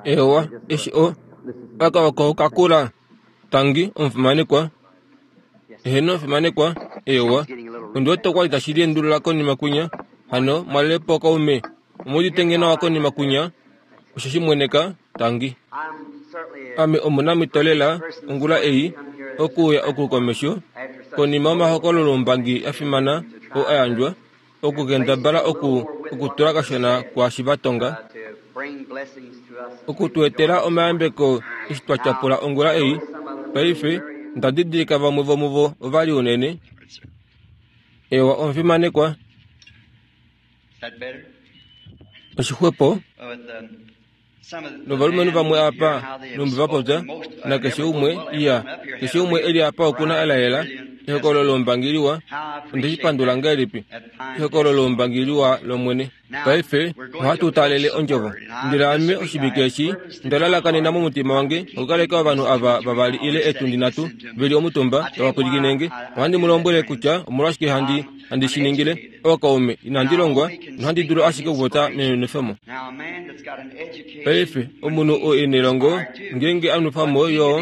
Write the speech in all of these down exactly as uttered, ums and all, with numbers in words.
Ewa, eshi o aka oko kakula. Tangi omufimanekwa. Eheno omufimanekwa. Ewa, ondi wete okwali tashi liendulula konima kwinya. Hano mwalelepo kaume. Omuudite nge nawa konima kwinya? Osho shimweneka, tangi. Ame omunamhito lela ongula ei okuuya oku komesho konima yomahokololoumbangi a fimana oo a yandjwa, okukendabala oku okutula kashona kwaashi va tonga, oku tu etela omayambeko eshi twa tyapula ongula ei. Paife nda didilika vamwe vomuvo ovali unene. Ewa omufimanekwa. Oshixwepo novalumenhu vamwe apa numbi va popya nakeshe umwe iya keshe umwe eli apa okuna elaela ehokololo lombangi liwa. Onde shi pandula ngahelipi ehokololo lombangi liwa lOmwene. Paife ohatu talele ondjovo. Ndele ame oshivike eshi nda lalakanena momutima wange okukaleka ovanhu ava vavali ile etundi nhatu veli omutumba tava pwilikine nge. Ohandi mu lombwele kutya omolwashike handi handi shi ningile. Ookaume, inandi longwa nohandi dulu ashike okupopya nenwefemo. Paife omunhu oo e nelongo ngeenge a nwefa mo yo,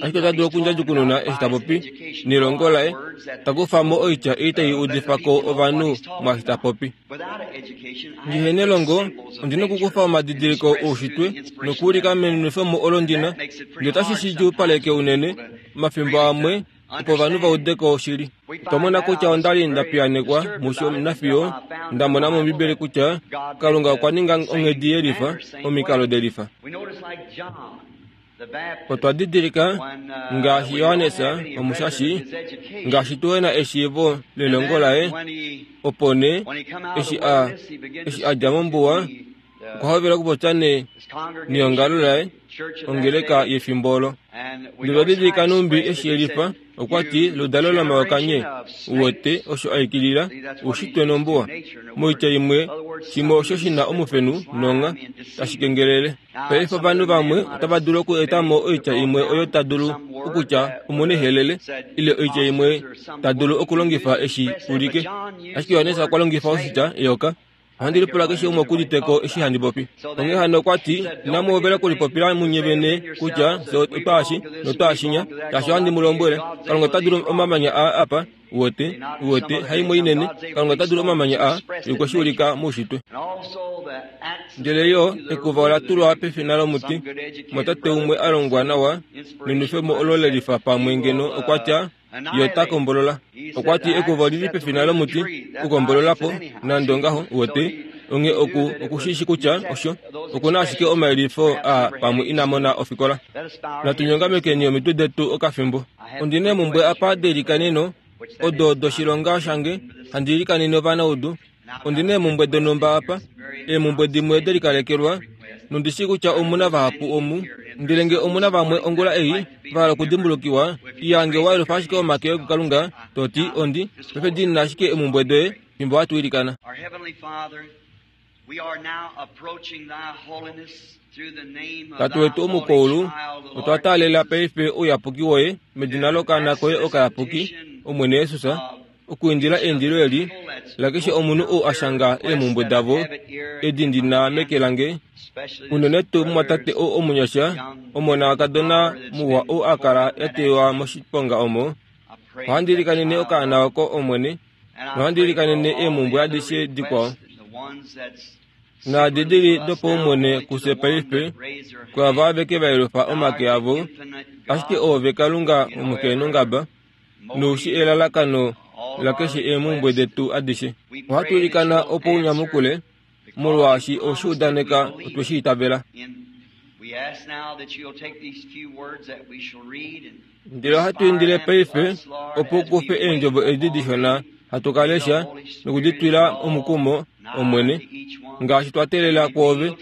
ashike ota dulu okundjadjukununa eshi ta popi nelongo laye, ta kufa mo oitya ei tai udifa ko ovanhu mwaashi ta popi. Ndihe nelongo, ondi na okukufa omadidiliko oushitwe nokuulika menwefemo olo ndina, ndele otashi shi djuupaleke unene omafimbo amwe opo ovanhu va ude ko oshili. Otwa mona kutya onda li nda piyaanekwa musho nafiyo nda mona mOmbibeli kutya Kalunga okwa ninga onghedi yelifa, omikalo delifa. Otwa didilika ngaashi Johannes omushashi, ngaashi tuhe na eshiivo lelongo laye, opo nee eshi a eshi a dja mombuwa okwa hovela okupopya ne neongalo laye, ongeleka yefimbo olo. Ndele otwa didilika numbi eshi yelifa, okwa ti ludalo lomayoka nye, uwete osho a ikilila oushitwe nombuwa. Moitya imwe, shimwe osho shi na omufenu nonga tashi kengelele. Paife ovanhu vamwe otava dulu oku eta mo oitya imwe oyo ta dulu okutya omunehelele, ile oitya imwe ta dulu okulongifa eshi ulike. Ashike Johannes okwa longifa oshitya eyoka. Ohandi lipula keshe umwe okuuditeko eshi handi popi. Onghee hano okwa ti, inamu hovela okulipopila munye vene kutya fye otwaashi notwaashinya, shaashi ohandi mu lombwele, Kalunga ota dulu omamanya aa apa, uwete, uwete, haimwe inene, Kalunga ota dulu omamanya aa, ye okwe shi ulika moushitwe. Ndele yo ekuva ola tulwa pefina lomuti, mwatate umwe a longwa nawa nenwefemo olo le lifa pamwe ngeno okwa tya, ye ota kombolola. Okwa ti ekuva oli li pefina lomuti okukombolola po, nande ongaho, uwete, onghee oku oku shi shi kutya osho oku na ashike omayelifo aa pamwe ina mona ofikola. Natu nyongamekeni omitwe detu okafimbo. Ondi na eemhumbwe apa deilikaneno, odo doshilonga shange, handi ilikanene ovanaudu. Ondi na eemhumbwe donhumba apa, eemhumbwe dimwe delikalekelwa, nondi shii kutya omu na vahapu omu. Ndele nge omu na vamwe ongula ei va hala okudimbulukiwa, iya nge wa yelufa ashike omake oye kuKalunga, to ti, Ondi paife diinina ashike eemhumbwe doye fimbo hatu ilikana. Our Heavenly Father, we are now approaching Thy holiness through the name of Tate Thy wetu holy omukoulu, child, the otwa Lord taalela Jesus, paife ouyapuki woye medina lokaana koye okayapuki, Omwene Jesus, okuindila eindilo eli lakeshe omunhu ou a shanga eemhumbwe davo edi ndi na meke lange, unene tuu mumwatate ou omunyasha, omona wakadona muwa ou a kala ya teywa moshiponga omo. Ohandi ilikanene okaana oko, Omwene, nohandi ilikanene eemhumbwe adishe dikwao naadi di li dopaumwene kufye paife, kwaava aveke va yelufa omake avo, ashike oove Kalunga omukeenongaba, noushi elalakano lakeshe eemhumbwe detu adishe. Ohatu ilikana opo u nyamukule, molwaashi owe udaneka otwe shi itavela. We ask now that you'll take these few words that we shall read and Ndele ohatu indile paife opo u kufe eendjovo edi dishona hatu ka lesha nokuditwila omukumo, Omwene, ngaashi twa teelela kwoove,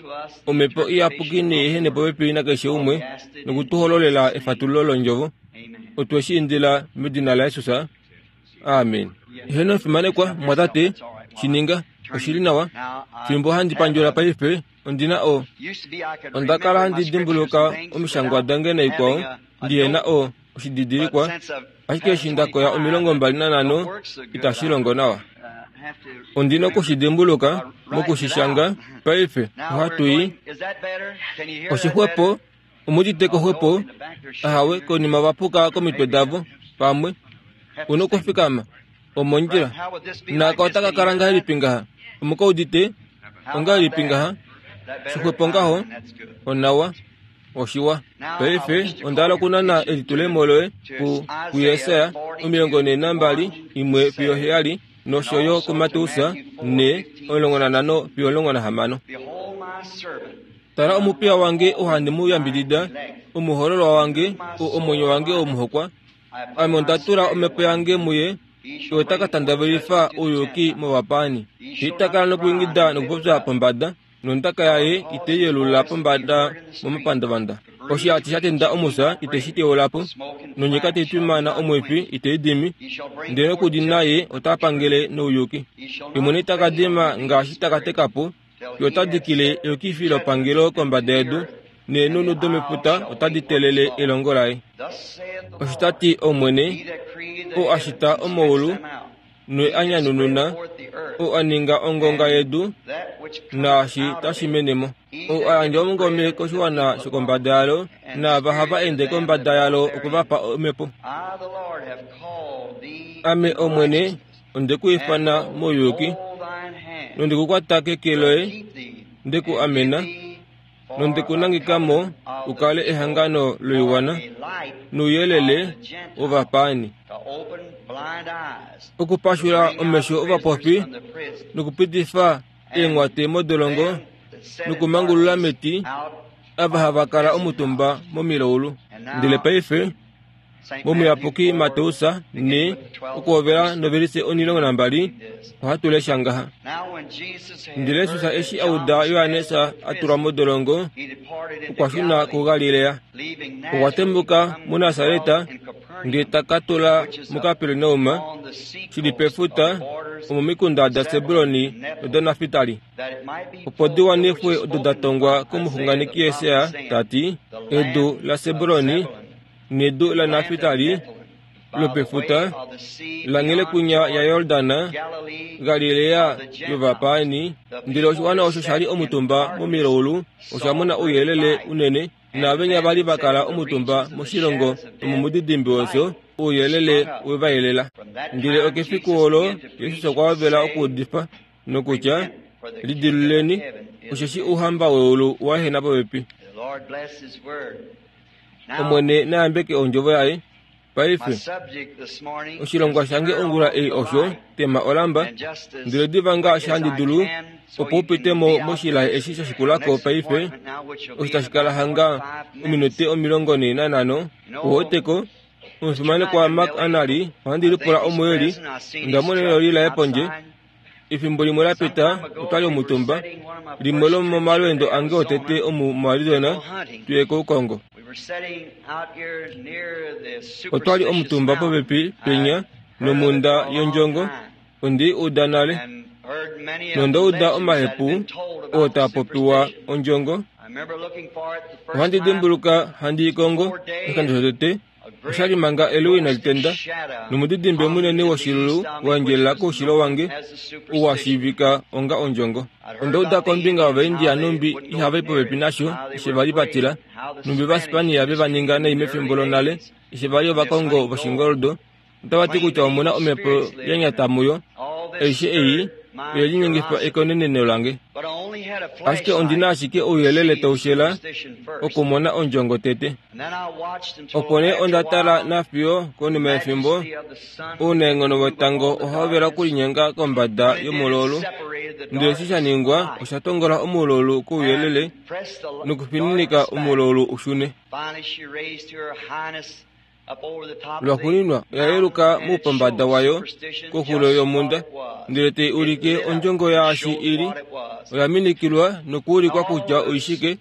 Omhepo Iyapuki nei ehene popepi nakeshe umwe nokutuhololela efatululo londjovo. Otwe shi indila medina laJesus. Amen. Eheno fimanekwa, mwatate, shi ninga. Oshi li nawa. Fimbo handi pandjula paife, ondi na o onda kala handi dimbuluka omishangwa dange naikwao, ndihe na o oshididilikwa, ashike eshi nda koya omilongo mbali nanhano itashi longo nawa. Ondina okushidimbuluka mokushishanga paife ohatu i oshixwepo omuditeko xwepo ahawe konima vapuka komitwe davo pamwe una okufikama omondjila naka otakakala ngahelipi ngaha omukaudite ongahelipi ngaha xixwepo ngaho onawa oshiwa paife ondala okunana elitulemo loye ku kuYesaya omilongo ne nambali imwe fiyo heyali nosho yo kuMateus ne omulongo nanhano fiyo omulongo nahamano. Tala omupiya wange ohandi mu yambidida omuhololwa wange omwenyo wange omuhokwa ame onda tula omhepo yange muye ota ka tandavelifa ouyuki movapaani. Itakala nokuingida nokupopya pombada nondaka yaye iteyelula pombada momapandavanda. Oshihati sha tenda omusa iteshi teulapo nonyika teitwimana omwifi iteidimi ndele nokudi naye ota pangele nouyuki. Imwene itakadima ngaashi takatekapo yo otadikile eyukifi lopangelo kombada yedu neenunu domefuta otadi telele elongo laye. Oshitati Omwene oo ashita omaulu noe a nyanununa oo a ninga ongonga yedu naashi tashi menemo oo a yandja omungome koshiwana shokombada yalo naava hava ende kombada yalo okuvapa omhepo. Ame Omwene onde ku ifana mouyuki nonde ku kwata keke loye nde ku amena nonde ku nangekamo ukale ehangano loiwana nouyelele wovapaani okupashula omesho ovapofi nokupitifa eenghwate modolongo nokumangulula meti ava hava kala omutumba momilaulu. Ndele paife momuyapuki Mateus ne okuhovela novelise omulongo nambali ohatu lesha ngaha. Ndele Jesus eshi auda Johannes a tulwa modolongo okwa shuna kuGalilea. Okwa tembuka muNasareta ndele taka tula muKapernaum shili pefuta omomikunda daSebuloni nodaNaftali. Opo di wanifwe odo da tongwa komuxunganeki Jesaja tati edu laSebuloni nedu la Naftali lopefuta langhele kunya ya Yordana Galilea yovapaani. Ndele oshiwana osho shali omutumba momilaulu osha mona ouyelele unene naavenya vali vakala omutumba moshilongo nomomudidimbi wefyo ouyelele wevayelela. Ndele okefiku olo Jesus okwa hovela okuudifa nokutya lidiluleni osheshi ouhamba weulu wa ehena popepi. Omwene nayambeke ondjovo yaye. Paife oshilongwa shange ongula ei osho tema olamba ndele diva ngaashi handi dulu opo upitemo moshilaye eshi sha shikulako paife osho tashi kala hanga ominute omilongo ne nanhano. Oweteko omufimanekwa Mark Anali ohandi lipula omueli onda mona eloli laye pondje efimbo limwe la pita otwali omutumba limwe lomomalweendo ange otete omu moArizona tuye koukongo. Otwali omutumba popepi penya nomunda yondjongo ondi uda nale nonda uda omahepu oo taa popiwa ondjongo. Ohandi dimbuluka handi ikongo oshikando shotete oshali manga eluwi nalitenda nomudidimbe munene woshilulu wa endjelela koushilo wange ou wa shiivika onga ondjongo. Onda uda kombinga yOvaindia numbi ihava i popepi nasho eshi vali vatila numbi Ovaspania ve va ninga nai mefimbo lonale eshi vali ovakongo voshingoldo. Otava ti kutya omuna omhepo ya nyata muyo. Aishe ei oye linyengifa ekoneneno lange. Ashike ondina ashike ouyelele taushela okumona ondjongo tete. Opo nee onda tala nafiyo konima yefimbo ounaenghono wetango ohahovela okulinyenga kombada yomulaulu. Ndele eshi sha ningwa osha tongola omulaulu kouyelele nokufininika omulaulu ushune. Lwaxuuninwa oya yeluka moupombada wayo koxulo yomhunda ndele tai ulike ondjongo yaashi ili. Oya minikilwa nokuulikwa kutya oishike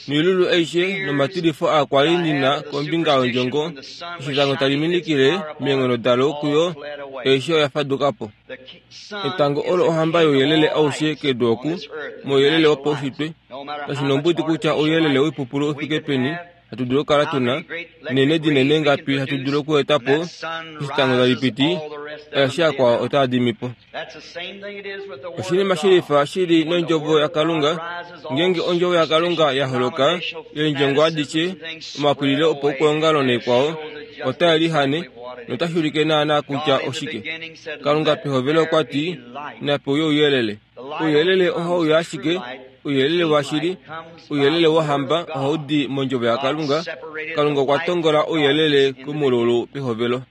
noilulu aishe nomatilifo aa kwali ndina kombinga yondjongo eshi etango tali minikile meenghono dalo kuyo aishe oya faduka po. Etango olo ohamba youyelele aushe kedu oku mouyelele wopaushitwe kashi nombudi kutya ouyelele woipupulu ufike peni hatu dulu okukala tuna nene dinene ngapi hatu dulu okueta po eshi etango tali piti aeshe akwao otaa dimi po. Oshinima shilifa shili nondjovo yaKalunga. Ngeenge ondjovo yaKalunga ya holoka, eendjongo adishe, omapwililo opaukuongalo naikwao otae lihane notashi ulike naana kutya oshike. Kalunga pehovelo okwa ti, nape uye ouyelele. Ouyelele ohau ashike, ouyelele washili, ouyelele wohamba ohau di mondjovo yaKalunga. Kalunga okwa tongola ouyelele komululu pehovelo.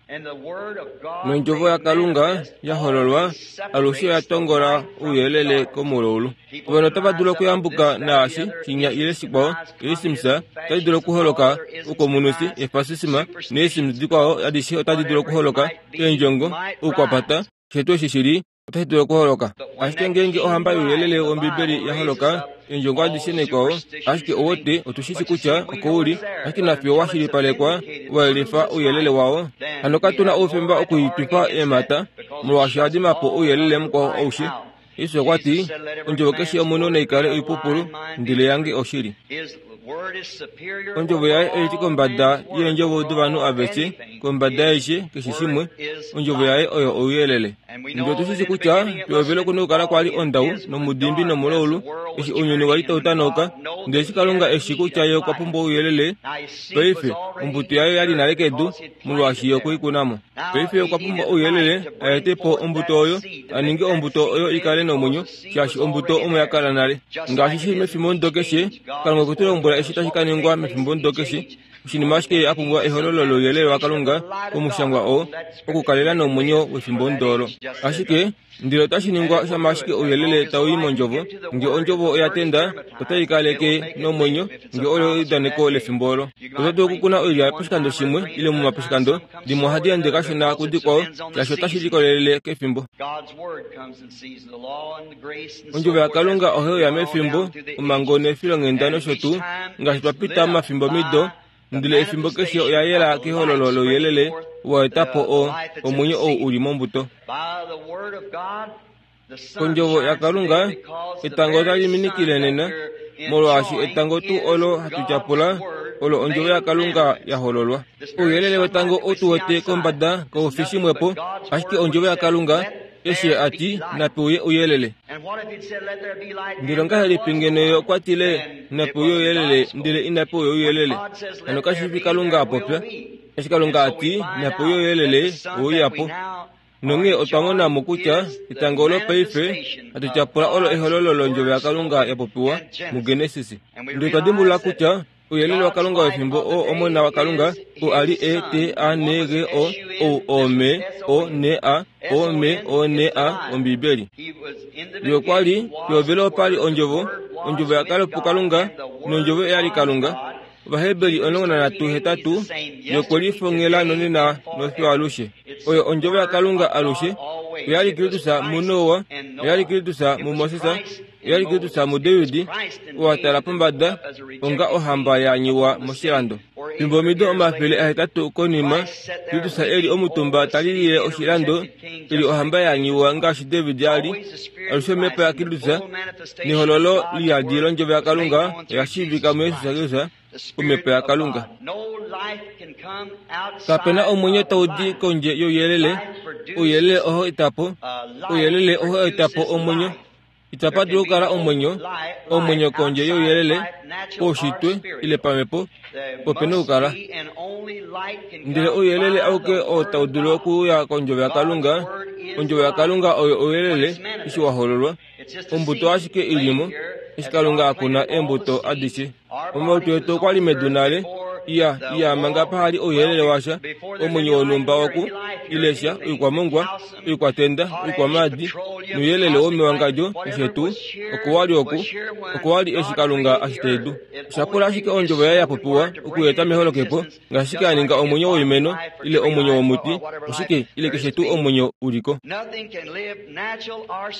Nondjovo yaKalunga ya hololwa alushe oya tongola ouyelele komululu. Ovanhu otava dulu okuyambuka naashi shinya ile shikwao, eesimsa otadi dulu okuholoka, oukomunusi, efasisima neesimsa dikwao adishe otadi dulu okuholoka, eendjongo, oukwapata, keshe tuu eshi shili otashi dulu okuholoka. Ashike ngeenge ohamba youyelele wOmbibeli ya holoka, eendjongo adishe naikwao, ashike owote otushishi kutya okouli, ashike nafiyo wa shilipalekwa wa yelifa ouyelele wao. Hano katu na oufemba okuitwifa eemhata, molwaashi oha dima po ouyelele mukwao aushe. Jesus okwa ti, ondjovo keshe yomunhu naikale oipupulu, ndele yange oshili. Ondjovo yaye oili kombada yeendjovo dovanhu aveshe, kombada yaishe keshe shimwe. Ondjovo yaye oyo ouyelele. Ndele otushishi kutya pehovelo okuna okukala kwali ondau nomudimbi nomulaulu, eshi ounyuni wali tau tanauka, ndele eshi Kalunga eshi kutya ye okwa pumbwa ouyelele, paife ombuto yaye oyali nale kedu, molwaashi ye okwe i kuna mo. Paife okwa pumbwa ouyelele a ete po ombuto oyo, a ninge ombuto oyo i kale nomwenyo, shaashi ombuto omo ya kala nale. Ngaashi shili mefimbomudo keshe, Kalunga okwe tu lombwela eshi tashi ka ningwa mefimbomudo keshe. Oshinima ashike a pumbwa ehololo louyelele waKalunga komushangwa oo okukalela nomwenyo wefimbomudo olo. Ashike ndele otashi ningwa shama ashike ouyelele tau i mondjovo. Nge ondjovo oya tenda, otai kaleke nomwenyo, nge olo eudaneko lefimbo olo. Oto dulu okukuna oilya poshikando shimwe ile momaposhikando, dimwe ohadi ende kashona kudikwao, shaashi otashi likolelele kefimbo. Ondjovo yaKalunga ohai uya mefimbo, omhango nefilonghenda nosho tuu, ngaashi twa pita momafimbomido, ndele efimbo keshe oya yela kehololo louyelele wa eta po o omwenyo ou uli mombuto. Kondjovo yaKalunga, etango otali minikile nena, molwaashi etango tuu olo hatu tyapula olo ondjovo yaKalunga ya hololwa. Ouyelele wetango otu wete kombada kau fi shimwepo, ashike ondjovo yaKalunga eshi a ti nape uye ouyelele. Ndele ongahelipi ngeno ye okwa tile nape uye ouyelele ndele inape uya ouyelele? Hano kashi fi Kalunga a popya. Eshi Kalunga a ti nape uye ouyelele, oweuya po. Nonghee otwa mona mo kutya etango olo paife hatu tyapula olo ehololo londjovo yaKalunga ya popiwa muGenesis. Ndele otwa dimbulula kutya ouyelele waKalunga wefimbo oo Omona waKalunga, oo a li E T A N G O O O M O N A O M O N A Ombibeli. Ye okwa li pehovelo opa li ondjovo, ondjovo ya kala puKalunga, nondjovo oya li Kalunga. Ovaheberi omulongo nanhatu hetatu, ye okwe lifongela nonena nofiyo alushe. Oyo ondjovo yaKalunga alushe. Oya li Kristus muNoa, oya li Kristus muMoses, oya li Kristus muDavid, oo a tala pombada onga ohamba ya nyiwa moshilando. Fimbo omido omafele ahetatu konima, Kristus e li omutumba ta lilile oshilando, e li ohamba ya nyiwa ngaashi David a li. Alushe omhepo yaKristus nehololo liyadi londjovo yaKalunga oya shiivika muJesus Kristus, omhepo yaKalunga. Kapena omwenyo tau di kondje youyelele. Ouyelele ohau eta po, ouyelele ohau eta po omwenyo. Itapa dulu okukala omwenyo, omwenyo kondje youyelele, poushitwe ile pamhepo, opena okukala. Ndele ouyelele auke oo tau dulu okuuya kondjovo yaKalunga, ondjovo yaKalunga oyo ouyelele eshi wa hololwa. Ombuto ashike ilimo, eshi Kalunga a kuna eembuto adishe. Omalutu etu okwa li medu nale, iya iya manga pahali ouyelele washa, omwenyo wonhumba woku ilesha, oikwamongwa, oikwatenda, oikwamaadi, nouyelele womewangadjo keshe tuu, oko wali oku, oko wali eshi Kalunga a shita edu. Osha pula ashike ondjovo yaye ya popiwa okueta meholokepo, ngaashi a ninga omwenyo woimeno ile omwenyo womuti, oshike ile keshe tuu omwenyo uliko.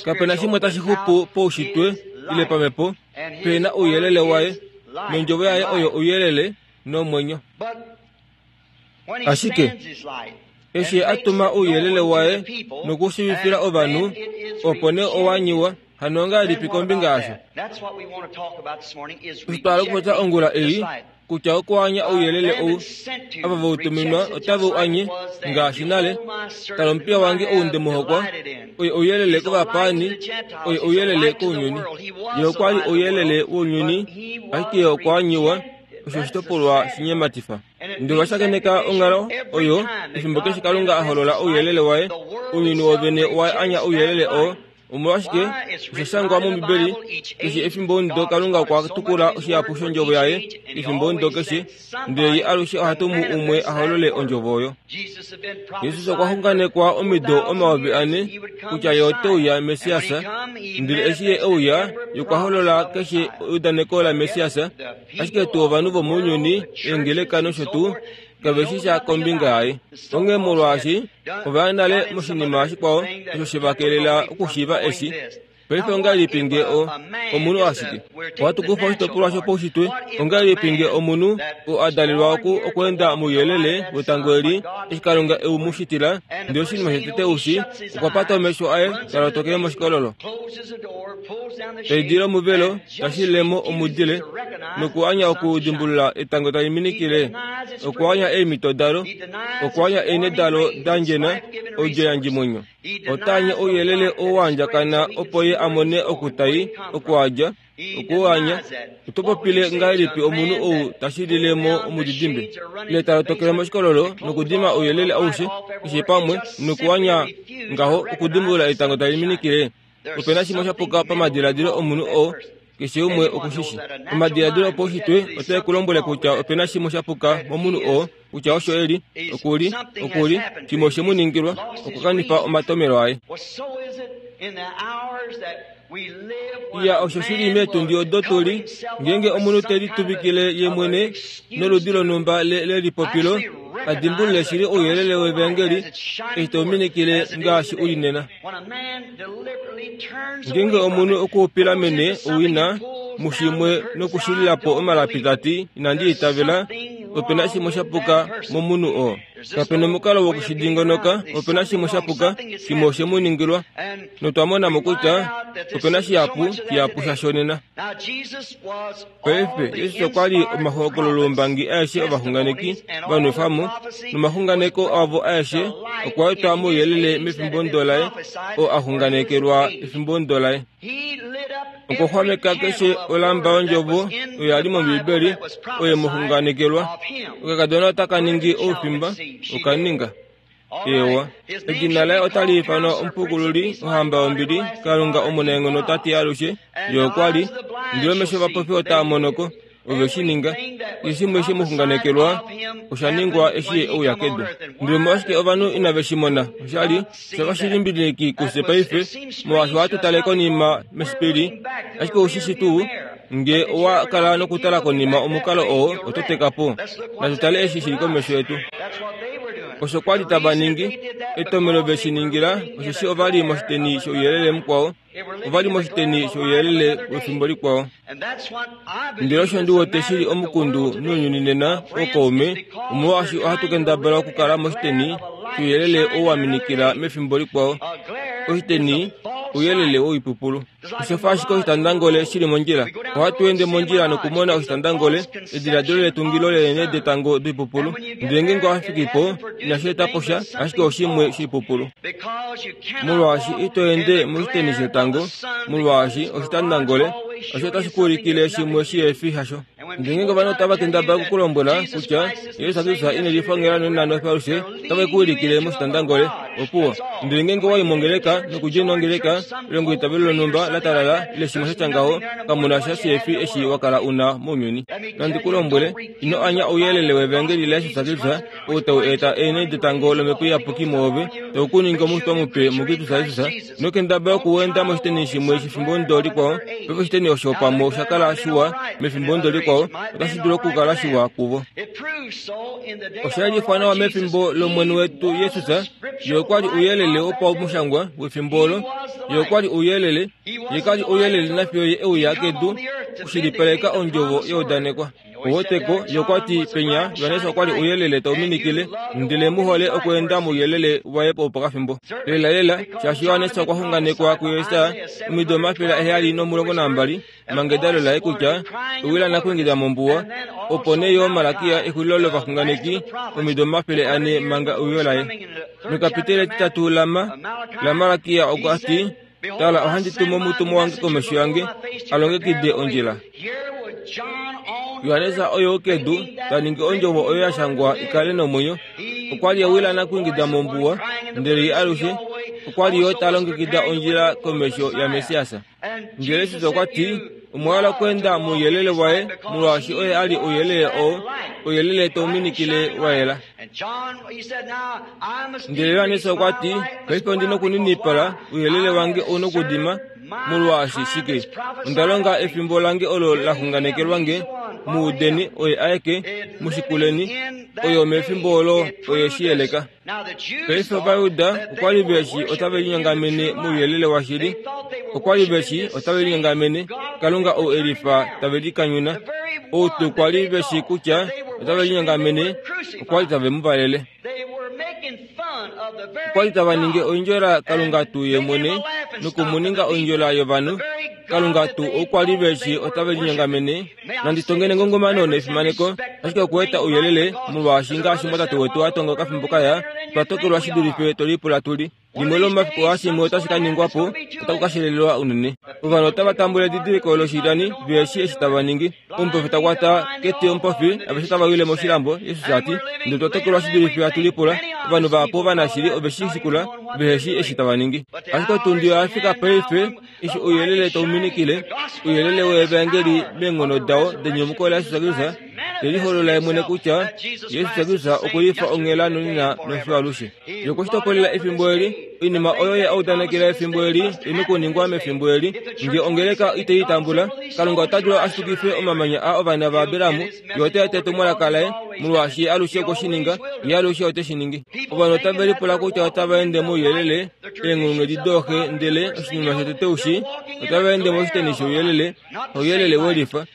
Kapena shimwe tashi xupu poushitwe ile pamhepo, pena ouyelele waye, nondjovo yaye oyo ouyelele nomwenyo. Ashike eshi a tuma ouyelele waye nokushivifila ovanhu, opo nee owa nyiwa, Hano ongahelipi kombinga yasho? Osho twa hala okupopya ongula ei, kutya okuanya ouyelele ou ava vautuminwa otave u anye ngaashi nale. Tala omupiya wange ou ndemuhokwa, oye ouyelele kovapaani, oye ouyelele kounyuni. Ye okwa li ouyelele wounyuni, ashike ye okwa anyiwa. Osho oshitopolwa shinyematifa. Ndele washakeneka onghalo oyo efimbo keshe Kalunga a holola ouyelele waye, ounyuni wovene owa anya ouyelele oo. Omolwashike osha shangwa mOmbibeli, keshe efimbo ndo Kalunga okwa tukula oshihapu shondjovo yaye efimbo ndo keshe, ndele ye alushe oha tumu umwe a holole ondjovo oyo. Jesus okwa xunganekwa omido omayovi ane kutya ye ote uya Messias, ndele eshi ye euya, ye okwa holola keshe eudaneko laMessias, ashike tuu ovanhu vomounyuni, eengeleka nosho tuu, kave shi sha kombinga yaye. Onghee molwaashi ova ya nale moshinima shikwao osho she va kelela okushiiva eshi. Paife ongahelipi nge o omunhu ashike? Ohatu kufa oshitopolwa shopaushitwe. Ongahelipi nge omunhu oo a dalelwa oku okweenda mouyelele wetango eli, eshi Kalunga e mu shitila, ndele oshinima shotete ushi, okwa pata omesho aye ta lotokele moshikololo, ta idile omuvelo, ta shilile mo omudile, nokuanya okudimbulula etango tali minikile, okuanya eemhito dalo, okuanya eenhe dalo da ndjena, odjo yandjimwenyo. Ota anye ouyelele oo wa andjakana opo ye a mone okutai, okuadja, okuanya. Oto popile ngahelipi omunhu ou ta shilile mo omudidimbe, ile ta lotokele moshikololo nokudima ouyelele aushe keshe pamwe, nokuanya ngaho okudimbulula etango tali minikile? Ope na shimwe sha puka pamadiladilo omunhu oo, keshe umwe okushishi. Omadiladilo opaushitwe otae ku lombwele kutya ope na shimwe sha puka momunhu oo, kutya osho eli, okuli, okuli, shimwe oshe mu ningilwa, okwa kanifa omatomelo aye. Iya, osho shili meetundi odo tuli, ngeenge omunhu te lituvikile ye mwene noludi lonhumba lelipopilo, a dimbulule shili ouyelele wevangeli eshi tau minikile ngaashi u li nena. Ngeenge omunhu okuupila mene owina mushimwe nokushilila po omalapi tati inandi itavela, ope na shimwe sha puka momunhu oo. Kape na omukalo wokushidingonoka, ope na shimwe sha puka, shimwe oshe mu ningilwa. Notwa mona mo kutya ope na shihapu shihapu sha shonena. Paife Jesus okwa li omahokololombangi aeshe ovaxunganeki va nwefwa mo, nomaxunganeko avo aeshe okwa etwa mouyelele mefimbo ndo laye, oo a xunganekelwa efimbo ndo laye. Okwa xwameka keshe olamba yondjovo oyo ya li mOmbibeli oye mu xunganekelwa. Okakadona otaka ningi oufimba, oka ninga. Ewa, edina laye otali ifanwa Omupukululi, Ohamba yombili, Kalunga omunaenghono Tate alushe. Ye okwa li, ndele omesho ovapofi otaa monoko, ove shi ninga. Keshe shimwe she mu xunganekelwa osha ningwa eshi ye ouya kedu. Ndele omolwashike ovanhu inave shi mona? Osha li osha fa shi limbililiki kufye paife, molwaashi ohatu tale konima mesipili, ashike oushi tuu nge owa kala nokutala konima omukalo oo oto teka po. Natu tale eshi shili komesho yetu. Osho kwa li tava ningi, etomelo ve shi ningila, osheshi ova li moshiteni shouyelele mukwao, ova li moshiteni shouyelele wefimbo likwao. Ndele osho ndi wete shili omukundu nounyuni nena, ookaume, omolwaashi ohatu kendabala okukala moshiteni shouyelele oo wa minikila mefimbo likwao. Oshiteni ouyelele woipupulu. Osha fa ashike oshitandangole shili mondjila. Ohatu ende mondjila nokumona oshitandangole, ediladilo letungilo leenhe detango doipupulu. Ndele ngeenge owa fiki po, inashi eta po sha, ashike oshimwe shoipupulu. Molwaashi ito ende moshiteni shetango, molwaashi oshitandangole osho otashi ku ulikile shimwe shihefi hasho. Ndele ngeenge ovanhu otava kendabala okukulombwela kutya Jesus Kristus ine lifongela nonano alushe, otave ku ulikile moshitandangole, opuwo. Ndele ngeenge owa i mongeleka nokudja nongeleka, elongo itavelo lonhumba la talala ile shimwe sha tya ngaho, kamu na sha shihefi eshi wa kala una mounyuni. Nandi ku lombwele, ino anya ouyelele wevangeli laJesus Kristus ou tau eta eenhe detango lOmhepo Iyapuki mwoove, tau ku ningi omushitwa mupe muKristus Jesus. Ino kendabala okuenda moshiteni shimwe shefimbo ndo likwao. Paife oshiteni osho pamwe osha kala shiwa mefimbo ndo likwao, otashi dulu okukala shiwa kuvo. Osha lifwa nawa mefimbo lOmwene wetu Jesus. Ye okwa li ouyelele wopamushangwa wefimbo olo. Ye okwa li ouyelele. Ye ka li ouyelele nafiyo ye euya kedu okushilipaleka ondjovo yeudanekwa. Oweteko yokwati penya Johannes okwa li ouyelele tau minikile, ndele muhole okweenda mouyelele waye opokafimbo. Lela lela, shaashi Johannes okwa xunganekwa kuJesaja omido omafele aheyali nomulongo nambali manga edalo laye kutya owila nakuingida mombuwa, opo nee yo Malakia exulilo lovaxunganeki omido omafele ane manga euyo laye. Mekapiteli etitatu lama laMalakia okwa ti, tala ohandi tumu omutumwa wange komesho yange alongekide ondjila. Johannes oyo kedu ta ningi ondjovo oyo ya shangwa ikale nomwenyo. Okwa li ewila nakuingida mombuwa, ndele ye alushe okwa li yo ta longekida ondjila komesho yaMessias. Ndele Jesus okwa ti, omwa hala okweenda mouyelele waye, molwaashi oye a li ouyelele oo, ouyelele tau minikile wa yela. Ndele Johannes okwa ti, paife ondi nokuninipala, ouyelele wange ou nokudima, molwaashi shike? Onda longa efimbo lange olo la xunganekelwa nge, muudeni oye aeke, mushikuleni, oyo mefimbo olo oye shi yeleka. Paife Ovajuda okwa li veshi otave linyongamene mouyelele washili, okwa li veshi otave linyongamene Kalunga ou elifa tave likanyuna, ou tuu kwa li veshi kutya otave linyongamene okwa li tave mu valele. Okwa li tava ningi oindjola Kalunga tuu ye mwene nokumuninga oindjola yovanhu. Kalunga tuu okwa li veshi otave linyongamene. Nandi tongene ngongomano nefimaneko, ashike okueta ouyelele, molwaashi ngaashi mwatate wetu a tonga okafimbo kaya, twa tokelwa shi dulife tolipula tuli. Limwe lomafiku aashimwe otashi ka ningwa po, otaku ka shelelelwa unene. Ovanhu otava tambula edidiliko loshilani veshi eshi tava ningi. Omupofi ta kwata keti omupofi, aveshe tava wile moshilambo. Jesus a ti, ndele twa tokelwa shi dulife hatu lipula. Ovanhu vahapu ovanashili ove shi shikula, veheshi eshi tava ningi. Ashike otundi oya fika paife eshi ouyelele tau minikile, ouyelele weevangeli meenghono dao denyumuko laJesus Kristus, te liholola ye mwene kutya Jesus Kristus okulifa onghela nonena nofiyo alushe. Ye okwe shi topolela efimbo eli, oinima oyo ye audanekela efimbo eli ine kuningwa mefimbo eli. Nge ongeleka itei tambula, Kalunga ota dulu a shitukife omamanya a ovana vaAbraham, ye ota eta etumwalaka laye, molwaashi ye alushe okwe shi ninga, ye alushe ote shi ningi. Ovanhu otave lipula kutya otava ende mouyelele, eenghulunghedi dooxe, ndele oshinima shotete ushi, otava ende moshiteni shouyelele, ouyelele welifa.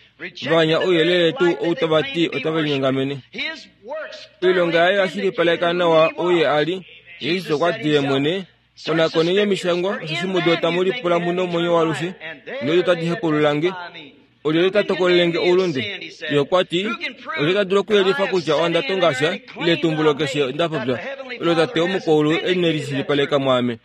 Vanya ouyelele tuu ou tava ti otave linyongamene. Oilonga yaye oya shilipaleka nawa ou ye a li. Jesus okwa ti ye mwene, konakoneni omishangwa, osheshi mudo otamu lipula mu nomwenyo waalushe, nodo tadi hepulula nge. Olyelye ta tokolele nge oulunde? Ye okwa ti, olyelye ta dulu okuyelifa kutya onda tonga sha, ile etumbulo keshe nda popya, olo Tate womukwaulu e ne lishilipaleka mwaame.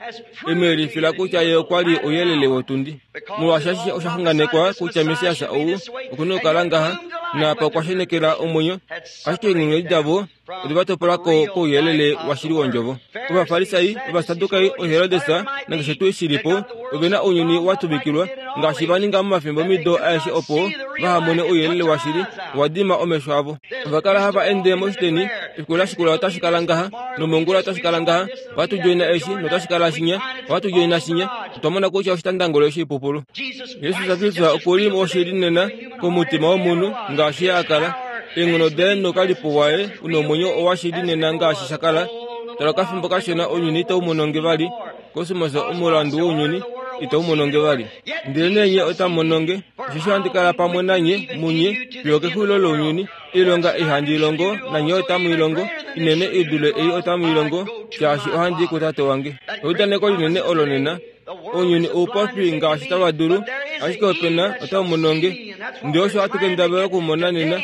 E mu yelifila kutya ye okwa li ouyelele wotundi. Molwaashi ashishe osha xunganekwa kutya Messias ou oku na okukala ngaha, naapa okwa shenekela omwenyo, ashike eenghulunghedi davo ode va topola ko kouyelele washili wondjovo. Ovafarisai, Ovasadukai, Oherodes nakeshe tuu shi li po, ove na ounyuni wa tuvikilwa, ngaashi va ninga momafimbo mido aeshe opo vaha mone ouyelele washili, owa dima omesho avo. Ova kala hava ende moshiteni, efiku la shikula otashi kala ngaha, nomongula otashi kala ngaha, ohatu djoina eshi notashi kala shinya, ohatu djoina shinya. Otwa mona kutya oshitandangolo oshipupulu. Jesus Kristus oku li oshili nena komutima womunhu ngaashi ye a kala. Eenghono daye nokalipo waye unomwenyo owashili nena ngaashi sha kala. Tala okafimbo kashona ounyuni itau mono nge vali, kosmos omulandu wounyuni itau mono nge vali. Ndele nee nye otamu mono nge, osheshi ohandi kala pamwe nanye munye fiyo okexulilo lounyuni. Oilonga ei handi longo nanye otamu i longo, inene i dule ei otamu i longo, shaashi ohandi i kuTate wange. Eudaneko linene olo nena. Ounyuni oupofi ngaashi tava dulu, ashike opena otamu mono nge. Ndele osho hatu kendabala okumona nena,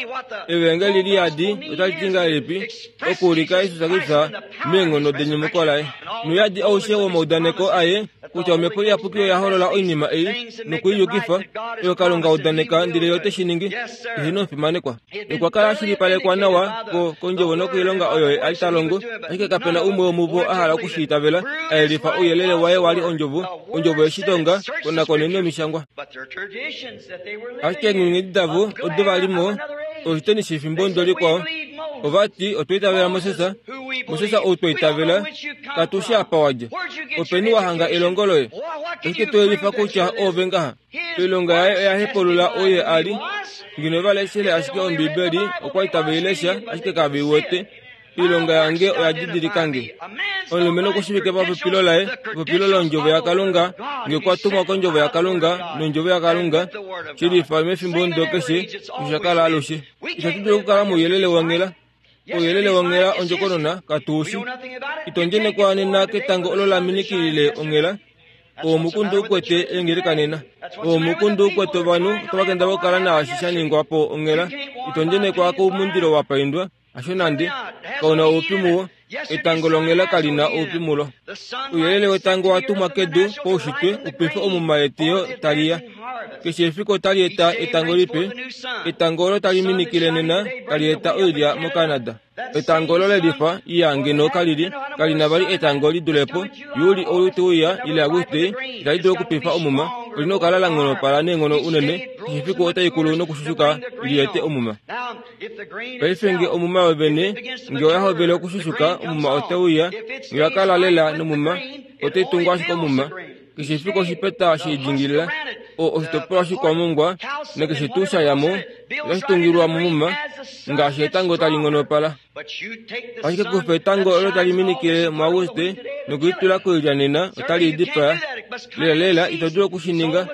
evangeli liyadi otali ti ngahelipi okuulika Jesus Kristus meenghono denyumuko laye. Nouyadi aushe womaudaneko aye kutya Omhepo Iyapuki oya holola oinima ei nokuiyukifa, oyo Kalunga udaneka ndele ye ote shi ningi, ehe nomufimanekwa. Okwa kala a shilipalekwa nawa ko kondjovo nokoilonga oyo ye a li ta longo, ashike kapena umwe womuvo a hala oku shi itavela, a yelifa ouyelele waye wa li ondjovo, ondjovo yeshitonga, konakoneni omishangwa. Ashike eenghulunghedi davo odo va li mo, oshiteni shefimbo ndo likwao. Ova ti, otwa itavela Moses, Moses ou twa itavela, katu shi apa wa dja. Openi wa hanga elongo loye? Ashike to yelifa kutya oove ngaha. Oilonga yaye oya hepulula oye a li. Ngeno va leshele ashike Ombibeli, okwa li tave i lesha, ashike kave i wete. Oilonga yange oya didilikange. Omulumenhu okushivike papopilo laye, epopilo londjovo yaKalunga, nge okwa tumwa kondjovo yaKalunga nondjovo yaKalunga, shilifa mefimbo ndo keshe, osho sha kala alushe. Itatu dulu okukala mouyelele wonghela. Ouyelele wonghela ondjokonona katuushi. Ito ndjenekwa nena ketango olo la minikilile onghela. Omukundu ukwete eengeleka nena. Omukundu ukwete ovanhu otava kendabala okukala naashi sha ningwa po onghela. Ito ndjenekwa koumundilo wa paindwa, hasho nande. Kauna oupyu muwo. Etango longhela kalina oupyu mulo. Ouyelele wetango wa tumwa kedu poushitwe upife omuma yeteyo taliya. Keshe efiku otali eta etango lipe. Etango olo tali minikile nena tali eta oilya moCanada. Etango olo lelifa iya ngeno kalili kalina vali etango lidulepo. Juli ou uya ile Auguste itali dulu okupifa omuma. Olina okukala la nghonopala neenghono unene. Keshe efiku otai kulu nokushushuka liete omuma. Paife nge omuma yovene nge oya hovele okushushuka omuma otauya nge oya kala lela nomuma otai tungwa ashike omuma. Keshe efiku oshipeta sheidingilila o oshitopolwa shikwamongwa nakeshe tuu sha yamo otashi tungilwa momuma ngaashi etango tali nghonopala. Ashike kufa etango olo tali minikile muAuguste nokulitula koilya nena otali dipaya. Lela lela ito dulu okushininga.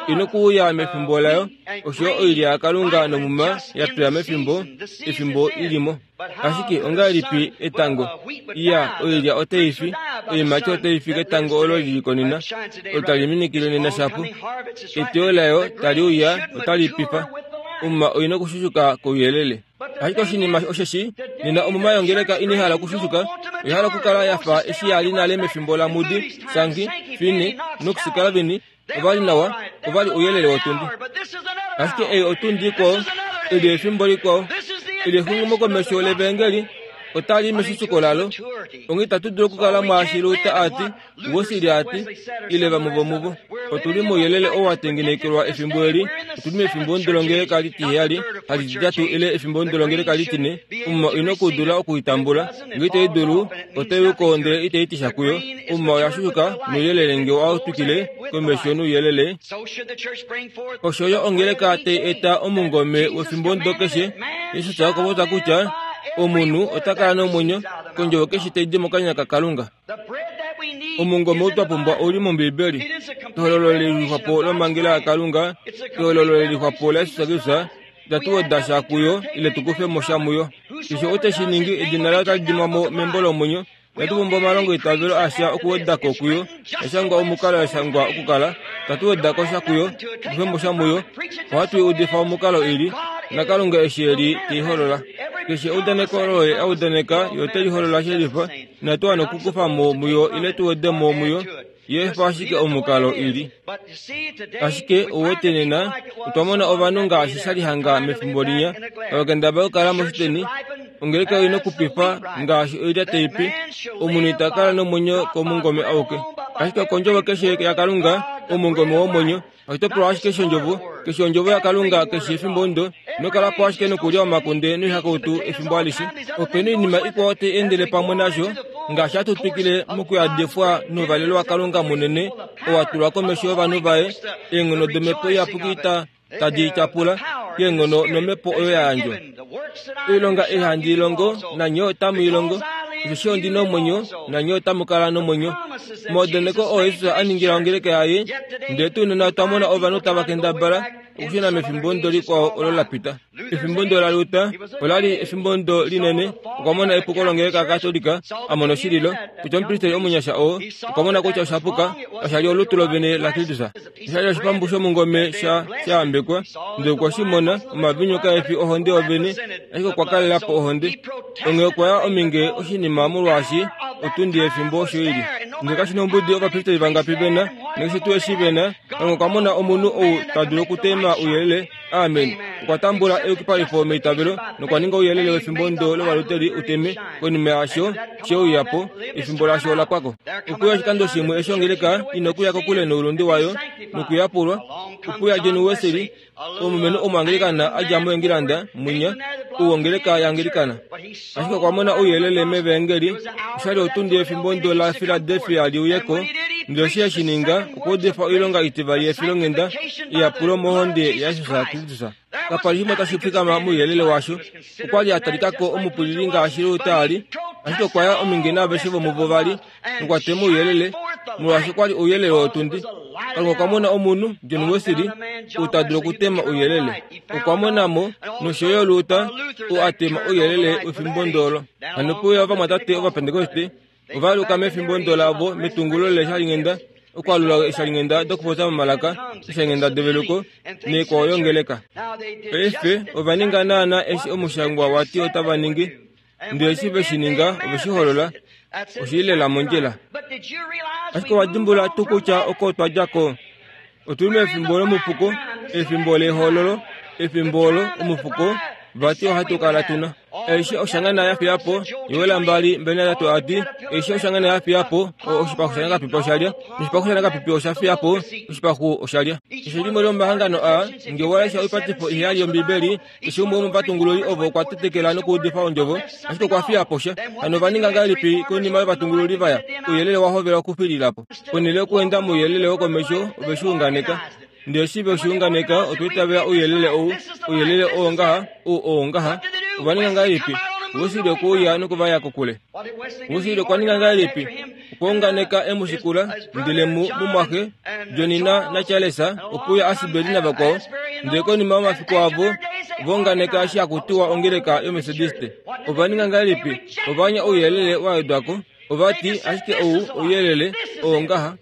Ino kuuya mefimbo layo osho oilya yaKalunga nomuma ya pya mefimbo efimbo ilimo. Ashike ongahelipi etango iya oilya otai fi oiimati otai fi ketango olo lili konena olo tali minikile nena shapu. Eteyo layo tali uya otali pifa. Omuma oina okushushuka kouyelele. Ashike oshinima osheshi nena omuma yongeleka ina hala okushushuka, oya hala okukala yafa eshi yali nale mefimbo laMoody, Sankey, Finney, Knox, Calvin, ovali nawa, ovali ouyelele wotundi. Ashike ei otundi ikwao, eli efimbo likwao, eli exumokomesho levangeli otali meshushuko lalo. Onge itatu dulu okukala mwaashi Luther ati, Wesley ati, ile vamwe vomuvo. Otuli mouyelele oo wa tengenekelwa efimbo eli, otuli mefimbo ndolongeleka litiheyali, halititatu ile efimbo ndolongeleka litine. Omuma oina okudula okuitambula, nge itai dulu, otai uko ndele itai tisha kuyo. Omuma oya shushuka nouyelele nge owa twikile komesho nouyelele. Osho yo ongeleka tai eta omungome wefimbo ndo keshe. Jesus okwa popya kutya omunhu ota kala nomwenyo kondjovo keshe tai di mokanya kaKalunga. Omungome ou twa pumbwa ouli mOmbibeli. Ehololo lelixwapo lomhangela yaKalunga, ehololo lelixwapo laJesus Kristus, itatu weda sha kuyo ile tu kufe mo sha muyo. Keshe ou teshi ningi edina laye otali dimwa mo membo lomwenyo. Itatu pumbwa omalongo eitavelo asha okuweda ko kuyo. Yashangwa omukalo yashangwa okukala. Itatu weda ko sha kuyo, tukufe mo sha muyo. Ohatu i udifa omukalo ili naKalunga eshi eli teiholola. Keshe eudaneko olo ye audaneka ye ote liholola shelifa. Inatu wana okukufa mo muyo ile tu wede mo muyo. Ye efa ashike omukalo ili. Ashike ouwete nena otwa mona ovanhu ngaashi sha li hanga mefimbo linya tava kendabala okukala moshiteni. Ongeleka oina okupifa ngaashi oilya tai pi. Omunhu ita kala nomwenyo komungome auke, ashike okondjovo keshe yaKalunga, omungome womwenyo. Oshitopolwa ashike shondjovo keshe ondjovo yaKalunga keshe efimbo ndo. Ino kala po ashike nokulya omakunde noihakautu efimbo alishe. Opena oinima ikwao tai endele pamwe nasho ngaashi hatu twikile mokuyadifwa nouvalelo waKalunga munene oo wa tulwa komesho yovanhu vaye. Eenghono domhepo iyapuki tadi tyapula keenghono nomhepo oyo ya yandjwa. Oilonga ei handi ilongo nanye otamu ilongo, osheshi ondi nomwenyo nanye otamu kala nomwenyo. Omaudaneko oo Jesus a ningila ongeleka yaye, ndele tuu nena otwa mona ovanhu tava kendabala okushuna mefimbo ndo likwao olo la pita. Efimbo ndo la Luther olali efimbo ndo linene. Okwa mona epuko longeleka yaKatolika, a mona oshililo kutya omupristeli omunyasha oo okwa mona kutya osha puka, osha li olutu lovene laKristus. Osha li oshipambu shomungome sha shayambekwa, ndele okwe shi mona omavinyu kae fi ohonde yovene, ashike okwa kalela po ohonde. Onghee okwa ya ominge oshinima molwaashi otundi yefimbo osho ili. Ndele kashi nombudi ovapristeli vangapi vena, nakeshe tuu eshi vena, Kalunga okwa mona omunhu ou ta dulu okutema ouyelele. Amen. Okwa tambula eyukipalifo meitavelo nokwa ninga ouyelele wefimbo ndo lovaluteli uteme. Konima yasho she uya po, efimbo lasho ola pwako. Okuya oshikando shimwe eshi ongeleka ina okuya kokule noulunde wayo nokuyapulwa. Okuya John Wesley, omulumenhu omuangelikana a dja moEngilanda mwinya ou ongeleka yaangelikana. Ashike okwa mona ouyelele mevangeli. Oshali otundi yefimbo ndo la Philadelphia liuyeko. Ndele eshi eshi ninga okwa udifa oilonga itivali yefilonghenda eyapulo mohonde yaJesus Kristus. Kapa li shimwe tashi fikama mouyelele washo. Okwa li a talika ko omupwilili ngaashi Luther a li, ashike okwa ya ominge naaveshe vomuvo vali, nokwa tema ouyelele, molwaashi okwa li ouyelele wotundi. Kalunga okwa mona omunhu, John Wesley, ou ta dulu okutema ouyelele. Okwa mona mo nosho yo Luther, ou a tema ouyelele wefimbo ndolo. Hano pouya ovamwatate Ovapentekoste, ova aluka mefimbo ndo lavo metungulo leshalinghenda, okwalula eshalinghenda dokupopya momalaka, eshalinghenda develuko, neekwao yongeleka. Paife ova ninga naana eshi omushangwa wati otava ningi, ndele eshi ve shi ninga ove shi holola, oshi lela mondjila. Ashike owa dimbula tuu kutya oko twa dja ko? Otuli mefimbo lomufuko, efimbo lehololo, efimbo olo omufuko vati ohatu kala tuna. Eshi oshangana ya fiya po, Yoela mbali mbali natatu ati, eshi oshangana ya fiya po, oshipaxu shanakapipi oshalya, noshipaxu shanakapipi osha fiya po, oshipaxu oshalya. Keshe limwe lomahangano aa, nge walesha oipatifo iheyali yOmbibeli, keshe umwe womovatungululi ovo okwa tetekela nokuudifa ondjovo, ashike okwa fiya po sha. Hano ova ninga ngahelipi konima yovatungululi vaya? Ouyelele wa hovela okufilila po. Ponhele yokuenda mouyelele wokomesho, ove shi unganeka. Ndele eshi ve shi unganeka, otwa itavela ouyelele ou, ouyelele oo ngaha, ou oo ngaha. Ova ninga ngahelipi? Wesley okwe uya nokuvaya kokule. Wesley okwa ninga ngahelipi? Okwa unganeka emushikula, ndele mu mumwaxe John na naCharles okwe uya Asbury navakwao, ndele konima yomafiku avo ova unganeka eshi haku tiwa ongeleka yoMethodiste. Ova ninga ngahelipi? Ova anya ouyelele wa wedwa ko. Ova ti, ashike ou ouyelele oo ngaha.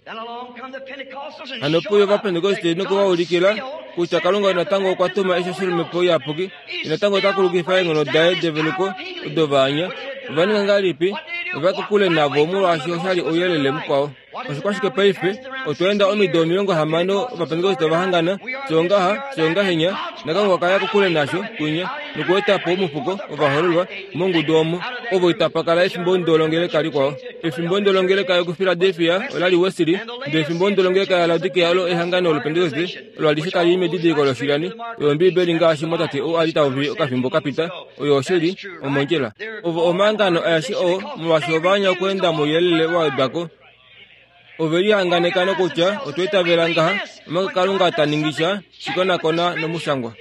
Hano pouya Ovapentekoste nokuvaulikila kutya Kalunga natango okwa tuma eshi shilomhepo iyapuki, natango ota kulukifa eenghono daye develuko odo va anya. Ova ninga ngahelipi? Ova ya kokule navo molwaashi osha li ouyelele mukwao. Oshikwashike paife? Otwa enda omido omilongo hamano Ovapentekoste ova hangana, fye ongaha, fye ongahenya, naKalunga okwa ya kokule nasho kwinya, nokueta po omufuko ovahololwa mongudu omo. Ovo itapa kala efimbo ndo longeleka likwao. Efimbo ndo longeleka yokuFiladelfia ola li Wesley, ndele efimbo ndo longeleka yaLaodikea olo ehangano loPentekoste olo alishe tali i medidiliko loshilani oyo Ombibeli ngaashi mwatate ou a li tauvi okafimbo kapita, oyo oshili omondjila. Ovo omahangano aeshe oo molwaashi ova anya okuenda mouyelele wa wedwa ko. Ove lihanganeka nokutya otwa itavela ngaha, omanga Kalunga ta ningi sha shikonakona nomushangwa.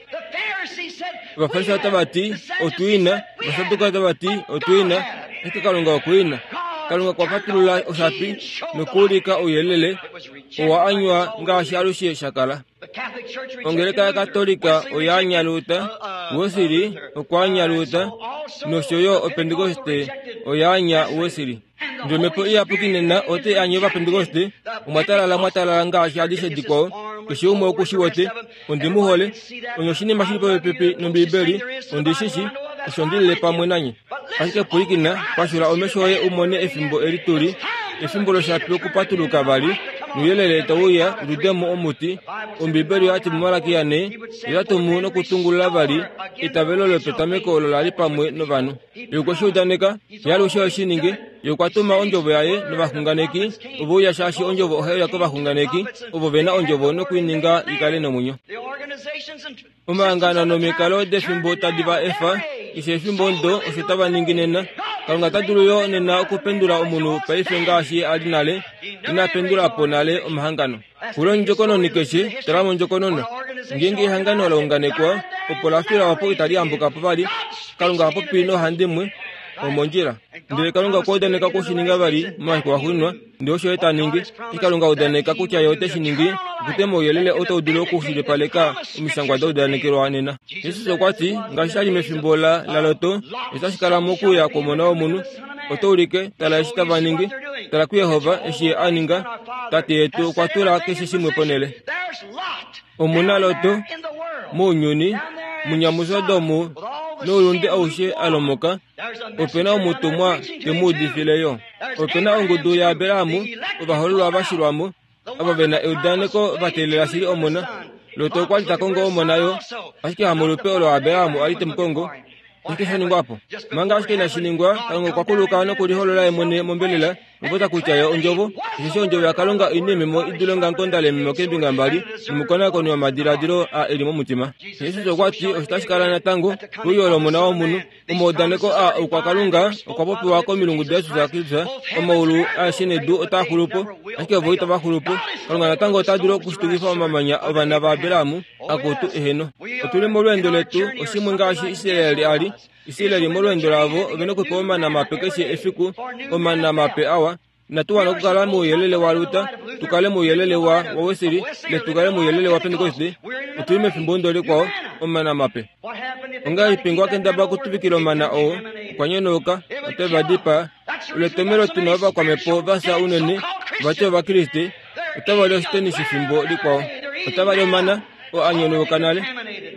Ovafarisai otava ti otwiina, Ovasadukayo otava ti otwiina, ashike Kalunga okwiina. Kalunga okwa fatulula oshapi nokuulika ouyelele owa anywa ngaashi alushe sha kala. Ongeleka yaKatolika oya anya Luther, Wesley okwa anya Luther, nosho yo Opentekoste oya anya Wesley. Ndele Omhepo Iyapuki nena otai anye Ovapentekoste, omwa talala mwa talala ngaashi adishe dikwao. Keshe umwe oku shi wete, ondi mu hole. Onye oshinima shili popepi nOmbibeli, ondi shi shi, osho ndi lile pamwe nanye. Ashike pwilikina, pashula omesho oye u mone efimbo eli tuli, efimbo loshapi okupatuluka vali, nouyelele tau uya u dude mo omuti. Ombibeli oyati muMalakia ne, ye ota tumu nokutungulula vali eitavelo lopetameko olo la li pamwe novanhu. Ye okwe shi udaneka, ye alushe ohe shi ningi. Ye okwa tuma ondjovo yaye novaxunganeki ove uya shaashi ondjovo ohai uya kovaxunganeki ovo ve na ondjovo nokuininga i kale nomwenyo. Omahangano nomikalo defimbo tadi va efa, keshe efimbo ndo osho tava ningi nena. Kalunga ota dulu yo nena okupendula omunhu paife ngaashi a li nale, ina pendula po nale omahangano. Pula ondjokononi keshe, tala mondjokonona. Ngeenge ehangano la unganekwa, opo la fila opo itali ambuka po vali, Kalunga oha popi noohandimwe omondjila. Ndele Kalunga okwa udaneka okushininga vali momafiku axuuninwa, ndele osho ye ta ningi. Eshi Kalunga a udaneka kutya ye ote shi ningi, okutema ouyelele oo tau dulu okushilipaleka omishangwa da udanekelwa nena. Jesus okwa ti, ngaashi sha li mefimbo la laLot, otashi kala mokuuya kwOmona wOmunhu. Oto ulike, tala eshi tava ningi, tala kuJehova eshi ye a ninga. Tate yetu okwa tula keshe shimwe ponhele. Omu na Lot mounyuni, munyamuSodom noulunde aushe a lomoka, ope na omutumwa te mu udifile yo. Ope na ongudu yaAbraham, ovahoololwa va shilwa mo, ava ve na eudaneko va teelela shili omona. Lot okwa li ta kongo omona yo, ashike hamolupe olo Abraham a li te mu kongo. Oshike sha ningwa po? Manga ashike inashi ningwa, Kalunga okwa kuluka nokuliholola ye mwene mombelela, Opota kutya yo ondjovo, osheshi ondjovo yaKalunga oi neememo i dule ongamukonda leememo keembinga mbali, nomukonakoni womadiladilo a eli momutima. Jesus okwa ti osho tashi kala natango keuyo lOmona wOmunhu. Omaudaneko a oukwakalunga okwa popiwa komilungu daJesus Kristus. Omaulu aeshe nedu otaa xulu po, ashike vo itava xulu po. Kalunga natango ota dulu okushitukifa omamanya ovana vaAbraham akutu eheno. Otu li molweendo letu oshimwe ngaashi Israeli a li. Israeli molweendo lavo ove nokupewa omana mape keshe efiku, omana mape awa. Inatu wana okukala mouyelele waLuther, tu kale mouyelele wa Wesley, ile tu kale mouyelele wa Pentecoste. Otu li mefimbo ndo likwao, omana mape. Ongahelipi ngee wakendabala okutuvikila omana oo, okwa nyonauka, ote va dipaa. Oletomelo tu na ovakwamhepo va fya unene, vati Ovakriste, otava li oshitenisi fimbo likwao. Otava li omana oo a nyonauka nale.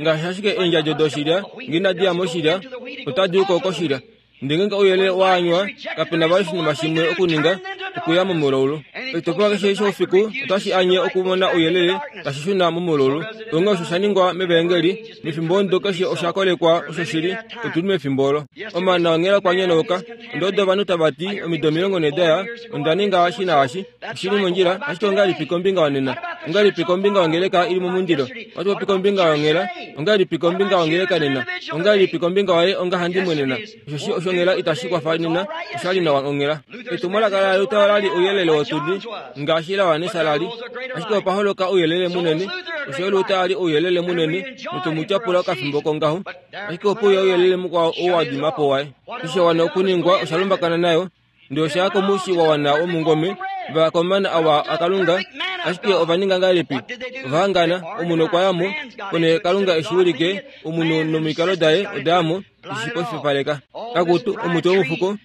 Ngaashi ashike eendjadjo doshilya ngee inadi ya moshilya, otadi u ko koshilya. Ndele ngeenge ouyelele wa anywa, kape na vali oshinima shimwe okuninga, okuya momulaulu. Oshitopolwa keshe shoufiku otashi anye okumona ouyelele tashi shuna momulaulu. Onghee osho sha ningwa mevaengeli, mefimbo ndo keshe osha kolekwa osho shili, otu li mefimbo olo. Omana onghela okwa nyonauka. Ondodo ovanhu tava ti omido omilongo nhee daya, onda ninga eshi naashi, oshi li mondjila, ashike ongahelipi kombinga yonena? Ongahelipi kombinga yongeleka ili momundilo? Ohatu popi kombinga yonghela, ongahelipi kombinga yongeleka nena? Ongahelipi kombinga waye ongahandimwe nena? Osheshi oshonghela itashi kwafa nena, osha li nawa onghela. Etumwalaka laLuther ola li ouyelele wotudi, ngaashi laJohannes la li. Ashike opa holoka ouyelele munene, osho Luther a li ouyelele munene, notu mu tyapula okafimbo kongaho. Ashike ope uya ouyelele mukwao oo wa dima po waye. Eshi sha wana okuningwa osha lumbakana nayo, ndele osha ya komushi wa wana womungome, va ya komana awa aKalunga, ashike ova ninga ngahelipi? Ova hangana, omunhu okwa ya mo, ponhele Kalunga eshi ulike, omunhu nomikalo daye oda ya mo, eshi pofipaleka. Akutu, omuti womufuko,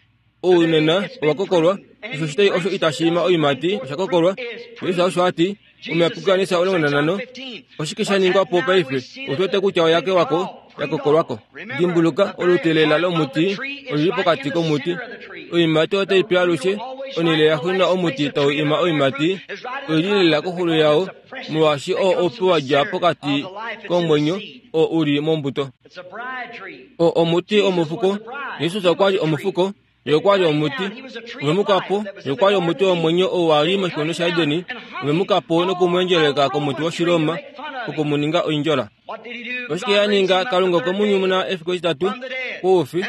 ou nena owa kokolwa, osho oshitayi osho itashi ima oiimati osha kokolwa. Jesus osho a ti, omuyapuki Johannes omulongo nanhano. Oshike sha ningwa po paife? Otu wete kutya oya kewa ko, ya kokolwa ko. Dimbuluka, olute lela lomuti oli li pokati komuti. Oiimati otai pi alushe, onhele yaxuuninwa omuti tau ima oiimati, oi li lela koxulo yao, molwaashi oo oupi wa dja pokati komwenyo oo u li mombuto. Oo omuti womufuko. Jesus okwa li omufuko, ye okwa li omuti. Ove mu ka po, ye okwa li omuti womwenyo oo wa li moshikunino shaEden. Ove mu ka po noku mu endjeleleka komuti wOshiroma, oku mu ninga oindjola. Oshike ya ninga? Kalunga okwe mu nyumuna efiku etitatu koufi.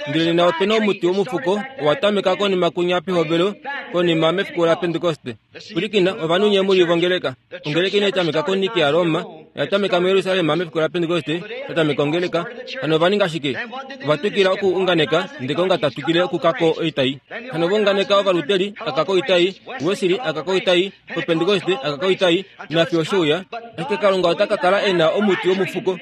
Ndele nena ope na omuti womufuko owa tameka konima kunya pehovelo, konima mefiku laPentekoste. Pwilikina, ovanhu nye mu li vongeleka. Ongeleka inai tameka koNicaea Roma, oya tameka muJerusalem mefiku laPentekoste, ya tameka ongeleka. Hano ova ninga shike? Ova twikila okuunganeka, ndele Kalunga ta twikile okuka ko oitai. Hano ova unganeka Ovaluteri, aka koitai, Wesley, aka koitai, Opentekoste, aka koitai, nafiyo oshe uya. Ashike Kalunga ota ka kala e na omuti womufuko.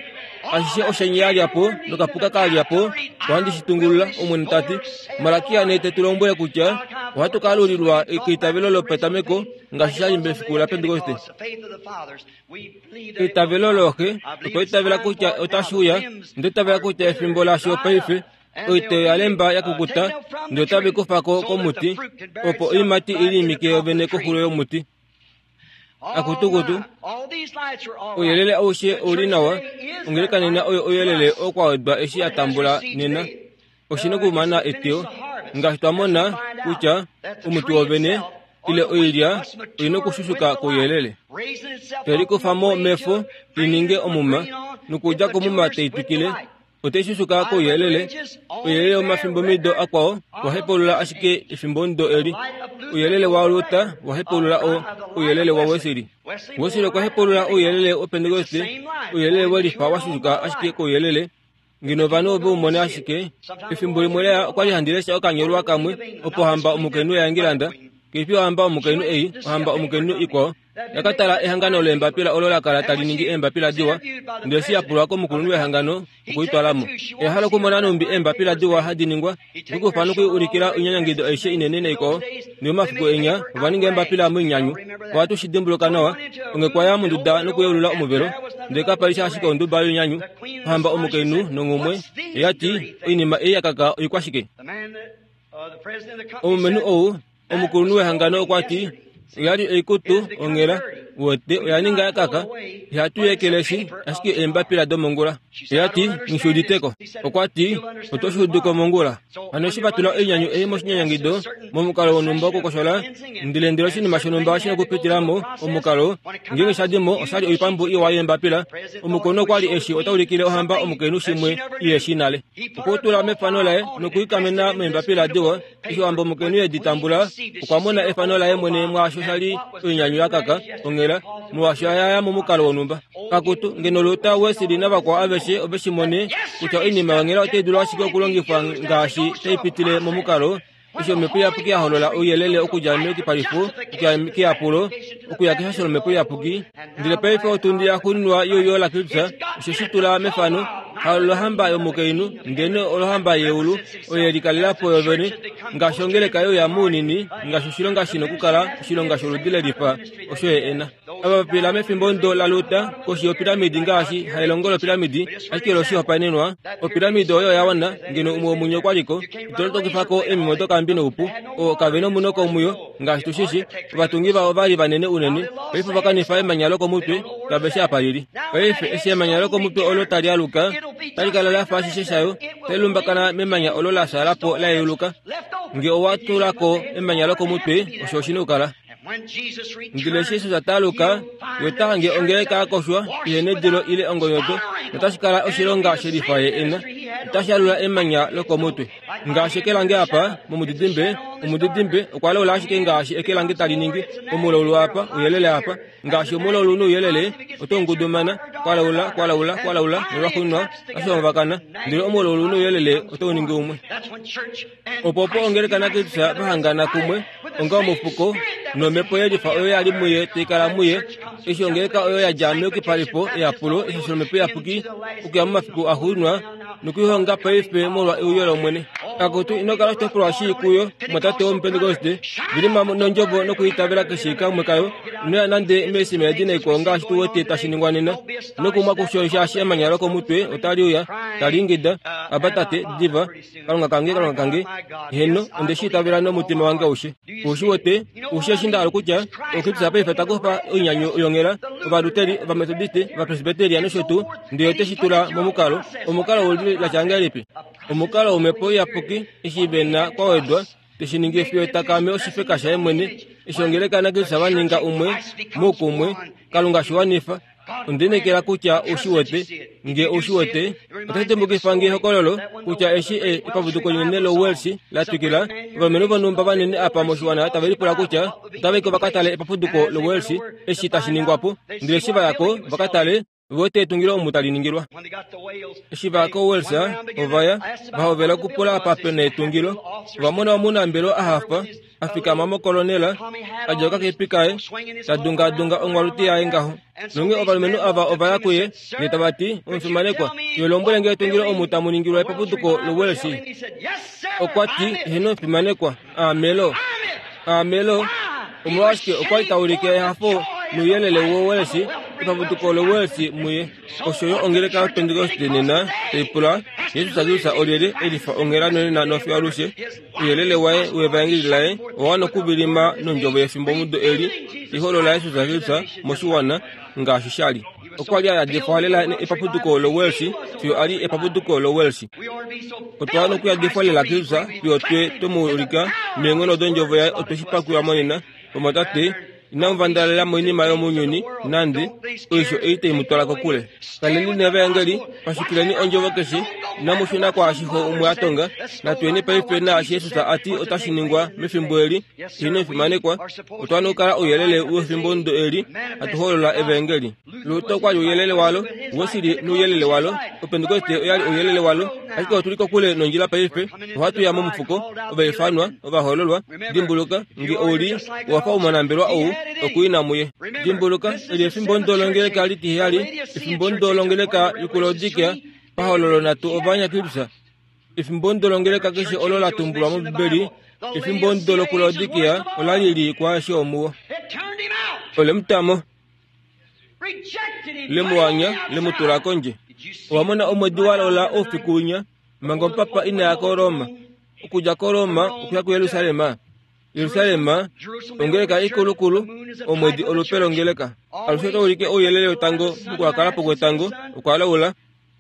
Ashishe oshenye ya lya po nokapuka ka lya po, ohandi shi tungulula, Omwene ta ti. Malakia nee te tu lombwele kutya ohatu ka alulilwa keitavelo lopetameko ngaashi sha li mefiku laPentekoste. Eitavelo looxe, otwa itavela kutya otashi uya, onda itavela kutya efimbo lasho paife, oiteo ya lemba ya kukuta, ndele otave kufa ko komuti, opo oiimati i liimike yovene koxulo yomuti. Akutukutu, ouyelele aushe ou li nawa, ongeleka nena oyo ouyelele oo kwa wedwa eshi ya tambula nena. Oshi nokumana eteyo, ngaashi twa mona kutya omuti wovene ile oilya oi nokushushuka kouyelele. Te likufa mo mefo i ninge omuma, nokudja komuma tai twikile, otai shushuka kouyelele. Ouyelele womafimbomido akwao wa hepaulula ashike efimbo ndo eli. Ouyelele waLuther wa hepaulula o ouyelele waWesley. Wesley okwa hepaulula ouyelele wOpentekoste, ouyelele welifa wa shushuka ashike kouyelele. Ngeno ovanhu ove u mone ashike. Efimbo limwe leya okwa li handi lesha okanyolwa kamwe opo ohamba omukainhu yaEngilanda, keifi ohamba omukainhu ei, ohamba omukainhu ikwao, yaka tala ehangano leembapila olo la kala tali ningi eembapila diwa, ndele eshi ya pulwa komukulunhu wehangano okuyitwala mo. Oya hala okumona nhumbi eembapila diwa hadi ningwa, okukufa nokuulikila oinyanyangido aishe inene naikwao. Ndele momafiku enya ova ninga eembapila moinyanyu. Ohatu shi dimbuluka nawa. Onge kwa ya monduda nokuyeulula omuvelo, ndele kapa li sha ashike onduba yoinyanyu. Ohamba omukainhu nonghumwe oya ti, oinima ei ya kaka oikwashike? Omulumenhu ou, omukulunhu wehangano okwa ti, Oya li oikutu onghela wete oya ninga ya kaka ihatu yekeleshi ashike eembapila domongula. Oya ti ngishuuditeko. Okwa ti oto shuuduko mongula. Hano eshi vatula oinyanyu ei moshinyanyangido momukalo wonhumba wokukoshola ndele ndele oshinima shonhumba oshina okupitilamo omukalo ngeenge shadimo oshali oipambu iwa yeembapila. Omukono okwali eshi otaulikile ohamba omukainhu shimwe ile shi nale. Okutula mefano laye nokuikamena meembapila diwa. Eshi ohamba omukainhu yedi tambula okwa mona efano laye mwene mwaasho shali oinyanyu ya kaka onghela molwaasho yaya momukalo wonhumba. Kakutu ngeno Luther Wesley navakwao aveshe ove shi mone kutya oinima yonghela otai dulu ashike okulongifwa ngaashi tai pitile momukalo. Eshi omhepo iyapuki ya holola ouyelele okudja meyukipalifo okuya keyapulo okuya keshasho lomhepo iyapuki. Ndele paife otundi ya xuuninwa youyo laKristus oshe shi tula mefano halo lohamba yomukainhu ndele olohamba yeulu oyo ye likalelapo yovene ngaashi ongeleka youya mounini ngaashi oshilonga shina okukala oshilonga sholudi lelifa osho ye ena. Ava vapila mefimbo ndo la Luther koshi yopiramidi ngaashi hailongo lopiramidi ashike loshihopaenenwa opiramidi oyo ya wana ngeno umwe womunye okwaliko ito tokifako emimo dokambi noupu o kave nomunoko muyo ngaashi tushishi. Ovatungi vavo vali vanene unene paife vakanifa emanya lokomutwe kave shi apa lili. Paife eshi emanya lokomutwe olo tali aluka tali kala lafa ashishe shayo tali lumbakana memanya olo la xalapo la yeuluka. Nge owa tulako emanya lokomutwe osho oshina okukala. Ndele Jesus ataluka yotahange ongeleka akoshwa ihenedilo ile ongonyoto notashi kala oshilonga shelifa ye ena otashi alula emanya lokomutwe. Ngaashi eke lange apa momudidimbe omudidimbe okwa laula ashike ngaashi eke lange tali ningi omulaulu apa uyelele apa ngaashi omulaulu nouyelele oto ngudumana kwalaula kwalaula kwalaula nolwaxuuninwa oshomvakana ndele omulaulu nouyelele oto ningi umwe. Opo opo ongeleka naKristus vahangana kumwe onga omufuko nomhepo yelifa oyo yali muye taikala muye eshi ongeleka oyo yadja meyukipalifo eyapulo eshasho lomhepo iyapuki okuya momafiku axuuninwa nokuihonga paife molwa euyo lOmwene. Akutu ino kala oshitopolwa shii kuyo mwatate womupentekoste vilima nondjovo nokuitavela keshe kamwe kayo inoya nande meesima edi naikwao ngaashi tu wete tashi ningwa nena nokumwa kusho shaashi emanya lokomutwe otali uya tali ingida aba tate diva kalunga kange kalunga kange heno onde shi itavela nomutima wange aushe. Ushi wete ushi eshi ndahala kutya Okristus paife takufa oinyanyu yonghela ovaluteri ovametodiste ovapresbiteria nosho tuu ndele ote shi tula momukalo omukalo woludi latya ngahelipi omukalo womhepo iyapuki eshi vena kwawedwa teshi ningi fiyo takame oshifeka shaye mwene eshi ongeleka naKristus vaninga umwe moukumwe Kalunga shiwanifa. Ondinekela kutya ushi wete nge ushi wete otashi dimbukifa nge ehokololo kutya eshi epapuduko linene loWelsh la twikila ovalumenhu vonhumba vanene apa moshiwana tave lipula kutya otava i vakatale epapuduko loWelsh eshi tashi ningwapo ndele eshi vayako vakatale vote etungilo omu tali ningilwa. Eshi vaya koWelsh ovaya vahovela okupula apa pena etungilo ovamona omunambelo ahafa afikama mokolonela adjauka kepi kaye tadungadunga ongwaluti yaye ngaho. Nonge ovalumenhu ava ovaya kuye ndele tava ti omufimanekwa yolombwele nge etungilo omu tamu ningilwa epapuduko loWelsh. Okwa ti heno omufimanekwa aamelo aamelo omolwashike okwali taulike ehafo nouyelele woWelsh epapuduko loWelsh muye. Osho yo ongeleka yoPentekoste nena taipula Jesus Kristus olyelye elifa onghela nonena nofiyo alushe ouyelele waye wevaengeli laye owa wana okuvilima nondjovo yefimbomudo eli taiholola Jesus Kristus moshiwana ngaashi shali. Okwa li a yadifwa lela epapuduko loWelsh fiyo ali epapuduko loWelsh. Otwa wana okuyadifwa lela Kristus fiyo twe twemu ulika neenghono dondjovo yaye otwe shi pakulwa monena. Omatate inamu vandalela moinima yomounyuni nande oisho ei tai mu twala kokule. Kaleni nevaengeli pashukileni ondjovo keshe inamu shuna kwaashiho umwe a tonga. Natuyeni paife naashi Jesus ati otashi ningwa mefimbo eli hino fimanekwa. Otwa wana okukala ouyelele wefimbo ndo eli hatu holola evaengeli. Luther okwali ouyelele walo, Wesley nouyelele walo, Opentekoste oyali ouyelele walo, ashike otuli kokule nondjila paife. Ohatu ya momufuko, ovaifanwa, ovahololwa. Dimbuluka nge ouli wafa omunambelwa ou okuina muye. Dimbuluka eli efimbo ndo longeleka litiheyali, efimbo ndo longeleka yokuLaodikea pahololo natu ovanyakilisa. Efimbo ndo longeleka keshe olo la tumbulwa mOmbibeli, efimbo ndo lokuLaodikea ola lili kwaashe omuwo. Olemutamo lemuwanya lemutula kondje. Owamona omwedi walola oufiku winya manga omupapa inaya koRoma okudja koRoma okuya kuYerusalem. Jerusalem ongeleka ikulukulu omwedi olupe longeleka. Alushe otaulike ouyelele wetango mokuhakalapo kwetango okwalaula.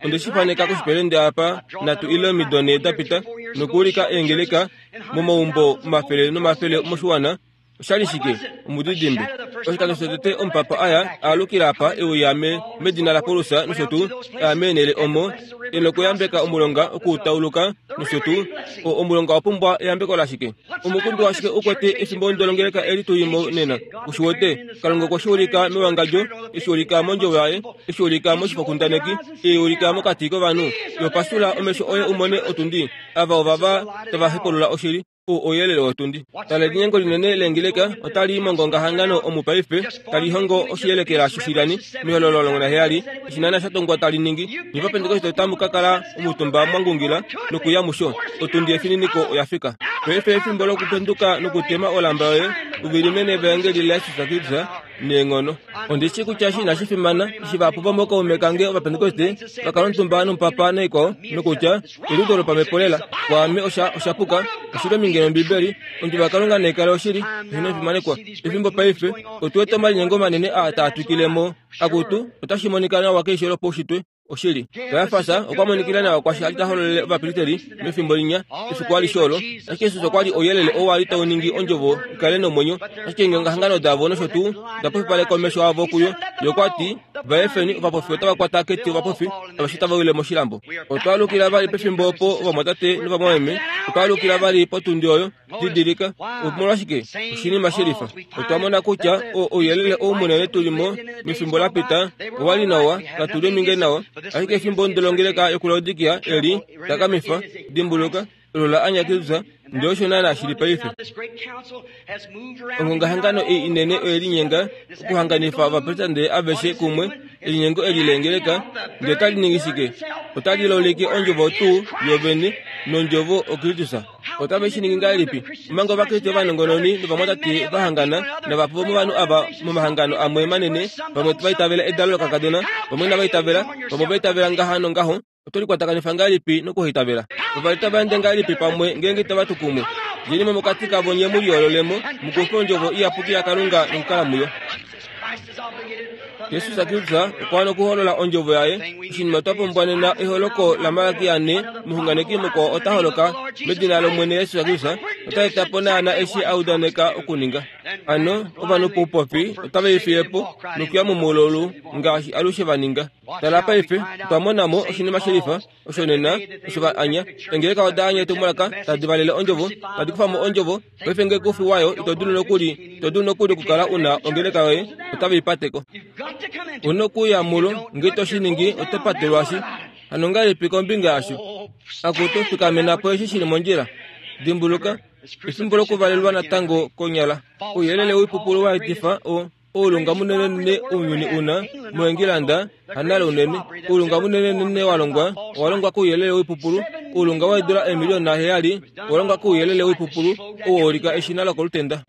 Onde shi faneka koshipelende apa natu ile omido nhee dapita nokuulika eengeleka momaumbo omafele nomafele moshiwana. Oshali shike? Omudidimbe. Oshikando shotete omupapa aya aalukila apa euya medina laPaulus nosho tuu aya meenhele omo e nokuyambeka omulonga okuutauluka nosho tuu. Omulonga owa pumbwa eyambeko lashike? Omukundu washike ukwete efimbo ndolongeleka eli tulimo nena? Ushiwete? Kalunga okwe shi ulika mewangadjo, eshi ulika mondjovo yaye, eshi ulika moshifokundaneki, e ulika mokati kovanhu. Yopasula omesho oye umone otundi. Ava ovava tava hepulula oshili. Ouyelele wotundi. Tala elinyengo linene leengeleka otali mongongahangano omupaife talihongo oshiyelekela shoshilani mehololo omulongo naheyali eshi naana sha tongwa tali ningi. Nye Vapentekoste otamu ka kala omutumba mwangungila nokuya musho. Otundi yefininiko oya fika. Paife efimbo lokupenduka nokutema olamba yoye uvilime nevaengeli laYesus Kristus neenghono. Ondishi kutya eshi inashi fimana eshi vahapu vomokaume kange Ovapentekoste vakala omutumba nomupapa naikwao nokutya eliudo lopamhepo lela. Kwaame osha oshapuka oshili ominge nOmbibeli. Ondjovo yaKalunga naikale oshili eheno fimanekwa. Efimbo paife otuwete omalinyengo manene aa taa twikilemo. Akutu otashi monika nawa keisho lopaushitwe oshili. Kajafas okwa monikila nawa kwashi a li ta hololele ovapristeli mefimbo linya efiku alishe olo. Ashike Jesus okwa li ouyelele oo wa li tau ningi ondjovo ikale nomwenyo. Ashike eengongahangano davo nosho tuu da pofipaleka omesho avo kuyo. Ye okwa ti, vaefeni ovapofi otava kwata keti ovapofi aveshe otava wile moshilambo. Otwa alukila vali pefimbo opo ovamwatate novamwameme. Otwa alukila vali potundi oyo. Didilika, omolwashike? Oshinima shelifa. Otwa mona kutya ouyelele ou munene tulimo mefimbo lapita owa li nawa, katuli ominge nawa. Ashike efimbo ndolongeleka yokuLaodikia eli takamifa. Dimbuluka olo la anya Kristus, ndele osho naana shili paife. Ongongahangano ei inene oye linyenga okuhanganifa ovapresidente aveshe kumwe. Elinyengo eli leengeleka ndele otali ningi shike? Otali loleke ondjovo tuu yovene nondjovo oKristus. Otave shi ningi ngahelipi? Omanga Ovakriste ovanongononi novamwatate va hangana navahapu vomovanhu ava momahangano amwe manene, vamwe va itavela edalo lokakadona, vamwe inava itavela, vamwe ova itavela ngaha nongaho. Oto likwatakanifa ngahelipi nokuhaitavela? Ova li tava ende ngahelipi pamwe ngeenge itava tu kumwe? Djeni mo mokati kavo nye mu liyoololemo, mukufe ondjovo iyapuki yaKalunga nokukala muyo. Jesus Kristus okwa wana okuholola ondjovo yaye. Oshinima twa pumbwa nena eholoko laMalaki ane. Omuxunganeki mukwao ota holoka medina lOmwene Jesus Kristus, ota eta po naana eshi a udaneka okuninga. Hano ovanhu poupofi otava ifiye po nokuya momulolu ngaashi alushe va ninga. Tala paife otwa mona mo oshinima shelifa osho nena osho va anya. Eengeleka oda anya etumwalaka tadi valele ondjovo, tadi kufa mo ondjovo. Paife ngee kufi wayo ito dulu nokuli, ito dulu nokuli okukala una ongeleka yoye, otave i pateko. Una okuya mulo, ngee ito shi ningi oto patelwashi. Hano ngahelipi kombinga yasho? Akutu fikamena po eshi shili mondjila. Dimbuluka, efimbo lokuvalelwa natango konyala. Ouyelele woipupulu wa etifa o oulunga munenenene ounyuni una moEngilanda hanale unene. Oulunga munenenene wa longwa owa longwa kouyelele woipupulu. Oulunga weedula eemiliyona heyali owa longwa kouyelele woipupulu oo wa ulika eshina lokolutenda.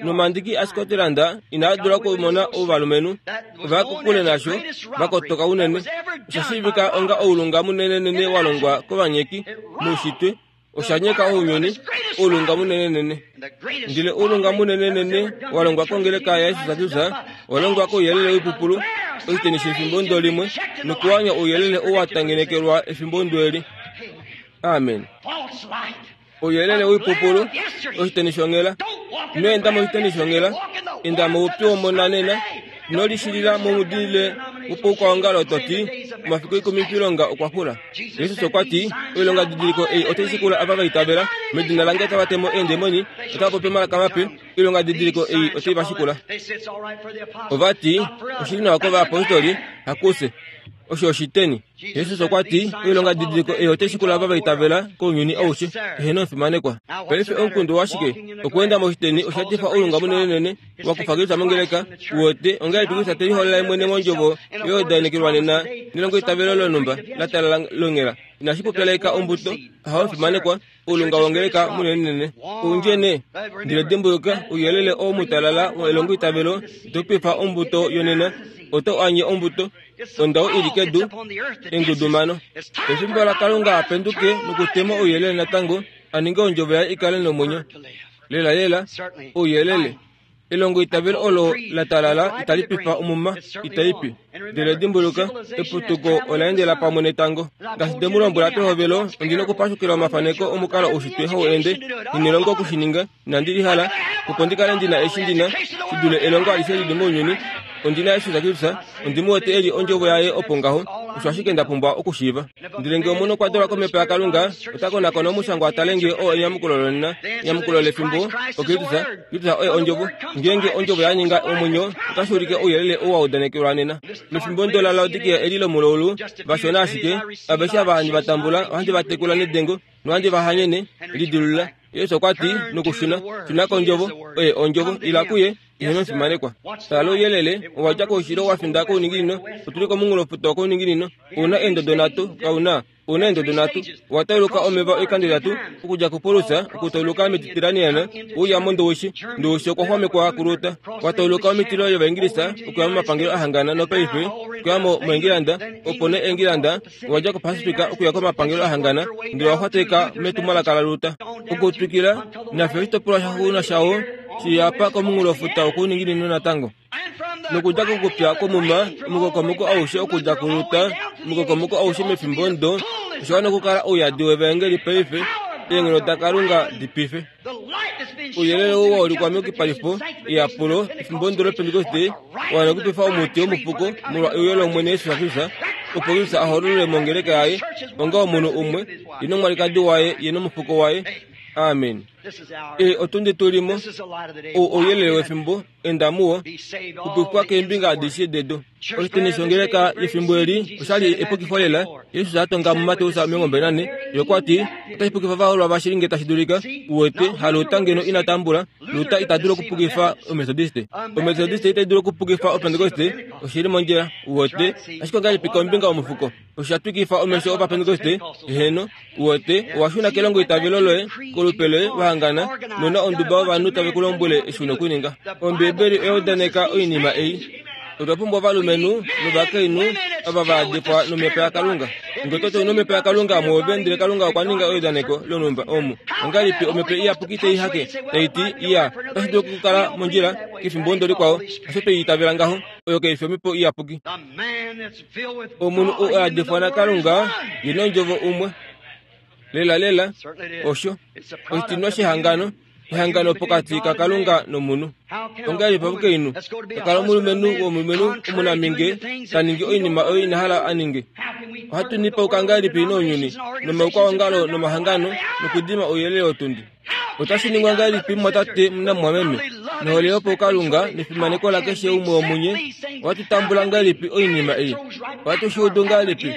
Nomandiki aScotland inaa dula okumona ovalumenhu ova kokule nasho vakotoka unene. Osha shiivika onga oulunga munenenene wa longwa kovanyeki moushitwe. Osha nyeka ounyuni, oulunga munenenene. Ndele oulunga munenenene wa longwa kongeleka yaJesus Kristus owa longwa kouyelele woipupulu oshiteni shefimbo ndo limwe nokuwanya ouyelele oo wa tangenekelwa efimbo ndo eli. Amen. Ouyelele woipupulu oshiteni shonghela. Ino enda moshiteni shonghela, enda moupyu womonanena. Ino lishilila momudile wopoukwaongalo to ti omafiku ikumi pilonga okwa xula. Jesus okwa ti oilonga didiliko ei otai shikula ava va itavela medina lange otava temo eendemoni, otava popi omalaka mape. Oilonga didiliko ei otai va shikula. Ova ti oshili nawa kovayapostoli, hakufye. Osho oshiteni. Jesus okwa ti oilonga didiliko ei otai shikula ava va itavela kounyuni aushe. Eheno fimanekwa. Paife omukundu washike? Okweenda moshiteni osha etifa oulunga munenenene wa kufa Kristus mongeleka. Uwete ongahelipi Kristus te liholola mwene mondjovo yodainekelwa nena nelongo itavelo lonhumba la talala longhela. Inashi pupyaleka ombuto. Ahawe fimanekwa. Oulunga wongeleka munenenene. Oundjene. Ndele dimbuluka ouyelele oo mutalala elongo itavelo ito pifa ombuto yonena. Oto anye ombuto. Ondau ili kedu engudumano. Efimbo laKalunga apenduke nokutema ouyelele natango a ninge ondjovo yaye ikale nomwenyo. Lela lela ouyelele elongo itavelo olo la talala itali pifa omuma itaipi. Ndele dimbuluka eputuko ola endela pamwe netango. Ngaashi nde mu lombwela pehovelo, ondi na okupashukila omafaneko omukalo oushitwe hau ende. Inelongo okushininga, inandi lihala opo ndi kale ndina eshi ndina shi dule elongo alishe lili mounyuni. Ondi na Jesus Kristus, ondi mu wete eli ondjovo yaye opo ngaho, osho ashike nda pumbwa okushiiva. Ndele ngee omunhu okwa dolwa komhepo yaKalunga, ota konakona omushangwa a tale ngee oo enyamukulo lonena, enyamukulo lefimbo, oKristus, Kristus oye ondjovo. Ngeenge ondjovo ya ninga omwenyo, otashi ulike ouyelele ou wa udanekelwa nena. Mefimbo ndo la Laodikia eli lomulaulu, vashona ashike, aveshe ava handi va tambula, ohandi va tekula nedengo, nohandi va hanyene, lidilulula. Yesu okwa ti nokushuna, shuna kondjovo, oye ondjovo, ila kuye, ihe nofimanekwa. Tala ouyelele, owa dja koushilo wa finda kouninginino, otuli komunghulofuta wokouninginino, ouna eendodo nhatu, kauna, ouna eendodo nhatu, owa tauluka omeva oikando itatu, okudja kuPolusa, okutauluka Mediterranean, ouya moNdowishi, Ndowishi okwa xwamekwa kuLuta, wa tauluka omitilo yOvaingilisa, okuya momapangelo ahangana nopaife, okuya moEngilanda, opo nee Engilanda, owa dja koPacifica okuya komapangelo ahangana, ndele owa xwateka metumwalaka laLuta. Okutwikila, nafye oshitopolwa shaxuuninwa shawo, shiyapa komunghulofuta wokouninginino natango. Nokudja kokupya kwomuma, omukokomoko aushe okudja kuLuta, omukokomoko aushe mefimbo ndo, osho wana okukala ouyadi wevaengeli paife, eenghono daKalunga dipife. Ouyelele ou wa ulikwa meyukipalifo eyapulo efimbo ndo lOpentekoste, wa nokupifa omuti womufuko molwa euyo lOmwene Jesus Kristus, opo Kristus a hololwe mongeleka yaye onga omunhu umwe, ye nomwalikadi waye, ye nomufuko waye. Amen. E otundi tulimo, ou ouyelele wefimbo, enda muwo, kupifwa keembinga adishe dedu. Oshiteni shongeleka yefimbo eli oshali epukifo lela. Jesus a tonga muMateus omilongo mbali nane, ye okwa ti otashi pukifa ovahoololwa vashili ngee tashi dulika. Uwete, haLuta ngeno ina tambula, Luta ita dulu okupukifa Ometodiste. Ometodiste itai dulu okupukifa Opentekoste, oshili mondjila, uwete, ashike ongahelipi kombinga yomufuko? Osha twikifa omesho Ovapentekoste, eheno, uwete, owa shuna kelongo itavelo loye, kolupe loye wahangana, nona onduba yovanhu tave ku lombwele eshi una okuninga. Ombiibeli oya udaneka oinima ei. Otwa pumbwa ovalumenhu novakainhu ava va yadifwa nomhepo yaKalunga. Ngee oto ti ouna omhepo yaKalunga mwoove ndele Kalunga okwa ninga eudaneko lonhumba omu, ongahelipi omhepo iyapuki tai hake tai ti, iya, otashi dulu okukala mondjila kefimbo ndo likwao, osho twei itavela ngaho, oyo kai fi omhepo iyapuki. Omunhu ou a yadifwa naKalunga ye nondjovo umwe. Lela lela, osho oshitinwa shehangano, ehangano pokati kaKalunga nomunhu. Ongahelipi omukainhu ta kala omulumenhu womulumenhu omunaminge ta ningi oinima oyo ina hala a ninge? Ohatu nipauka ngahelipi nounyuni, nomaukwaongalo nomahangano, nokudima ouyelele wotundi? Otashi ningwa ngahelipi mumwatate namumwameme? Nohole yopaukalunga nefimaneko lakeshe umwe womunye, ohatu tambula ngahelipi oinima ei? Ohatu shi udu ngahelipi?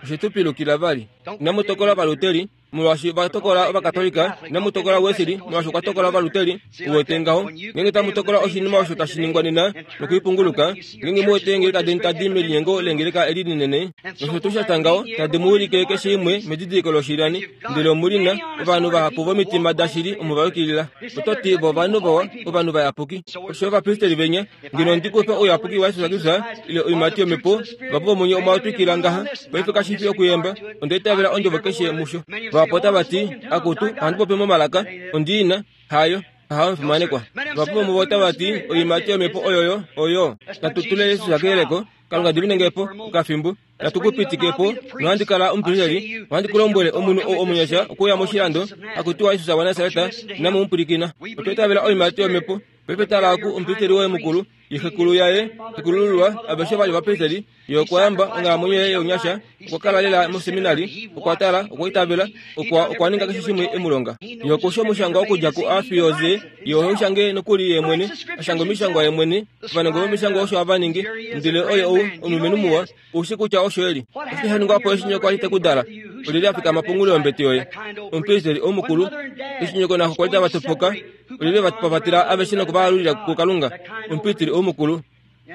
Oshe tu pilukila vali. Inamu tokola Ovaluteri, molwaashi va tokola Ovakatolika, inamu tokola Wesley, molwaashi okwa tokola Ovaluteri. Uwete ngaho, ngeenge tamu tokola oshinima osho tashi ningwa nena nokuipunguluka, ngeenge mu wete eengeleka deni tadi melinyengo leengeleka eli linene, nosho tuu sha tya ngaho, tadi mu wilike keshe imwe medidiliko loshilani, ndele omu li na ovanhu vahapu vomitima dashili omo va yukilila. Oto ti vo ovanhu vawa, ovanhu vayapuki. Osho ovapristeli venya, ngeno ndi kufe ouyapuki waJesus Kristus ile oiimati yomhepo, vapo vomunye omwa twikila ngaha, paife kashi fi okuyemba, onda itavela ondjovo keshe musho. Vahapu otava ti, akutu, ohandi popi momalaka, ondi ina, hayo, hayo omufimanekwa. Vahapu vomuvo otava ti, oiimati yomhepo oyoyo, oyo. Natu tule Jesus keyeleko, Kalunga diminenge po, okafimbo, natu ku pitike po, nohandi kala omupristeli, ohandi ku lombwele omunhu ou omunyasha okuuya moshilando, hakutiwa Jesus waNasaret, inamu mu pwilikina. Otwa itavela oiimati yomhepo. Paife tala oku omupristeli woye mukulu, ye xekulu yaye, xekulululwa, aveshe vali ovapristeli, ye okwa yamba onghalamwenyo yaye younyasha, okwa kala lela moseminari, okwa tala, okwa itavela, okwa okwa ninga keshe shimwe e mu longa. Ye okusha omushangwa okudja ku A fiyo Z, ye ohe u shange nokuli ye mwene, a shange omishangwa ye mwene, ovanongo vomishangwa osho hava ningi, ndele oye ou, omulumenhu muwa, ou shii kutya osho e li. Oshike sha ningwa po eshi nyoko a li te ku dala? Olyelye a fikama pongulu yombete yoye? Omupristeli omukulu. Eshi nyoko naxo kwa li tava topoka, olyelye va pavatela aveshe noku va alulila kuKalunga? Omupristeli omukulu.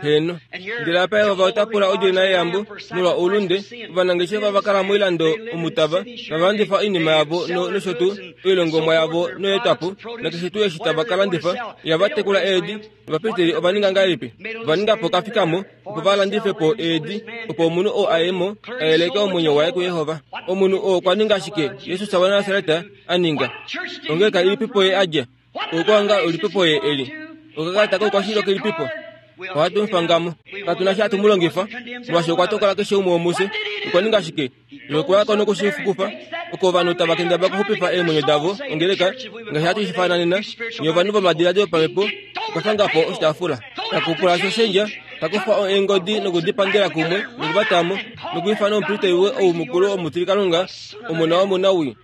Heeno. Ndele apa Jehova ota pula odjona yeyambo molwa oulunde, ovanangeshefa va kala moilando omu tava tava landifa oinima yavo no, nosho tuu oilongomwa yavo noyeetwapo, nakeshe tuu eshi tava ka landifa, ihava tekula eedi. Ovapristeli ova ninga ngahelipi? Ova ninga po okafikamo opo va landife po eedi, opo omunhu oo a ye mo a yeleke omwenyo waye kuJehova. Omunhu oo okwa ninga ashike Jesus waNasaret a ninga. Ongeleka ilipipo ye a dja? Oukwanga ulipipo ye eli. Okakalata koukwashili okelipipo. Ohatu mufangamo. Katuna sha hatu mu longifa. Molwaashi okwa tokola keshe umwe womufye. Okwa ninga shike? Ye okwa ya ko nokushifukufa. Oko ovanhu tava kendabala okuxupifa eemwenyo davo ongeleka ngaashi hatu shifana nena. Nye ovanhu vomadiladilo opamhepo okwa fanga po oshitaafula. Takupula shoshendja, takufa eengodi nokudipangela kumwe nokuvatamo nokwiifana omupristeli ou mukulu omutilikalunga omona womunawii.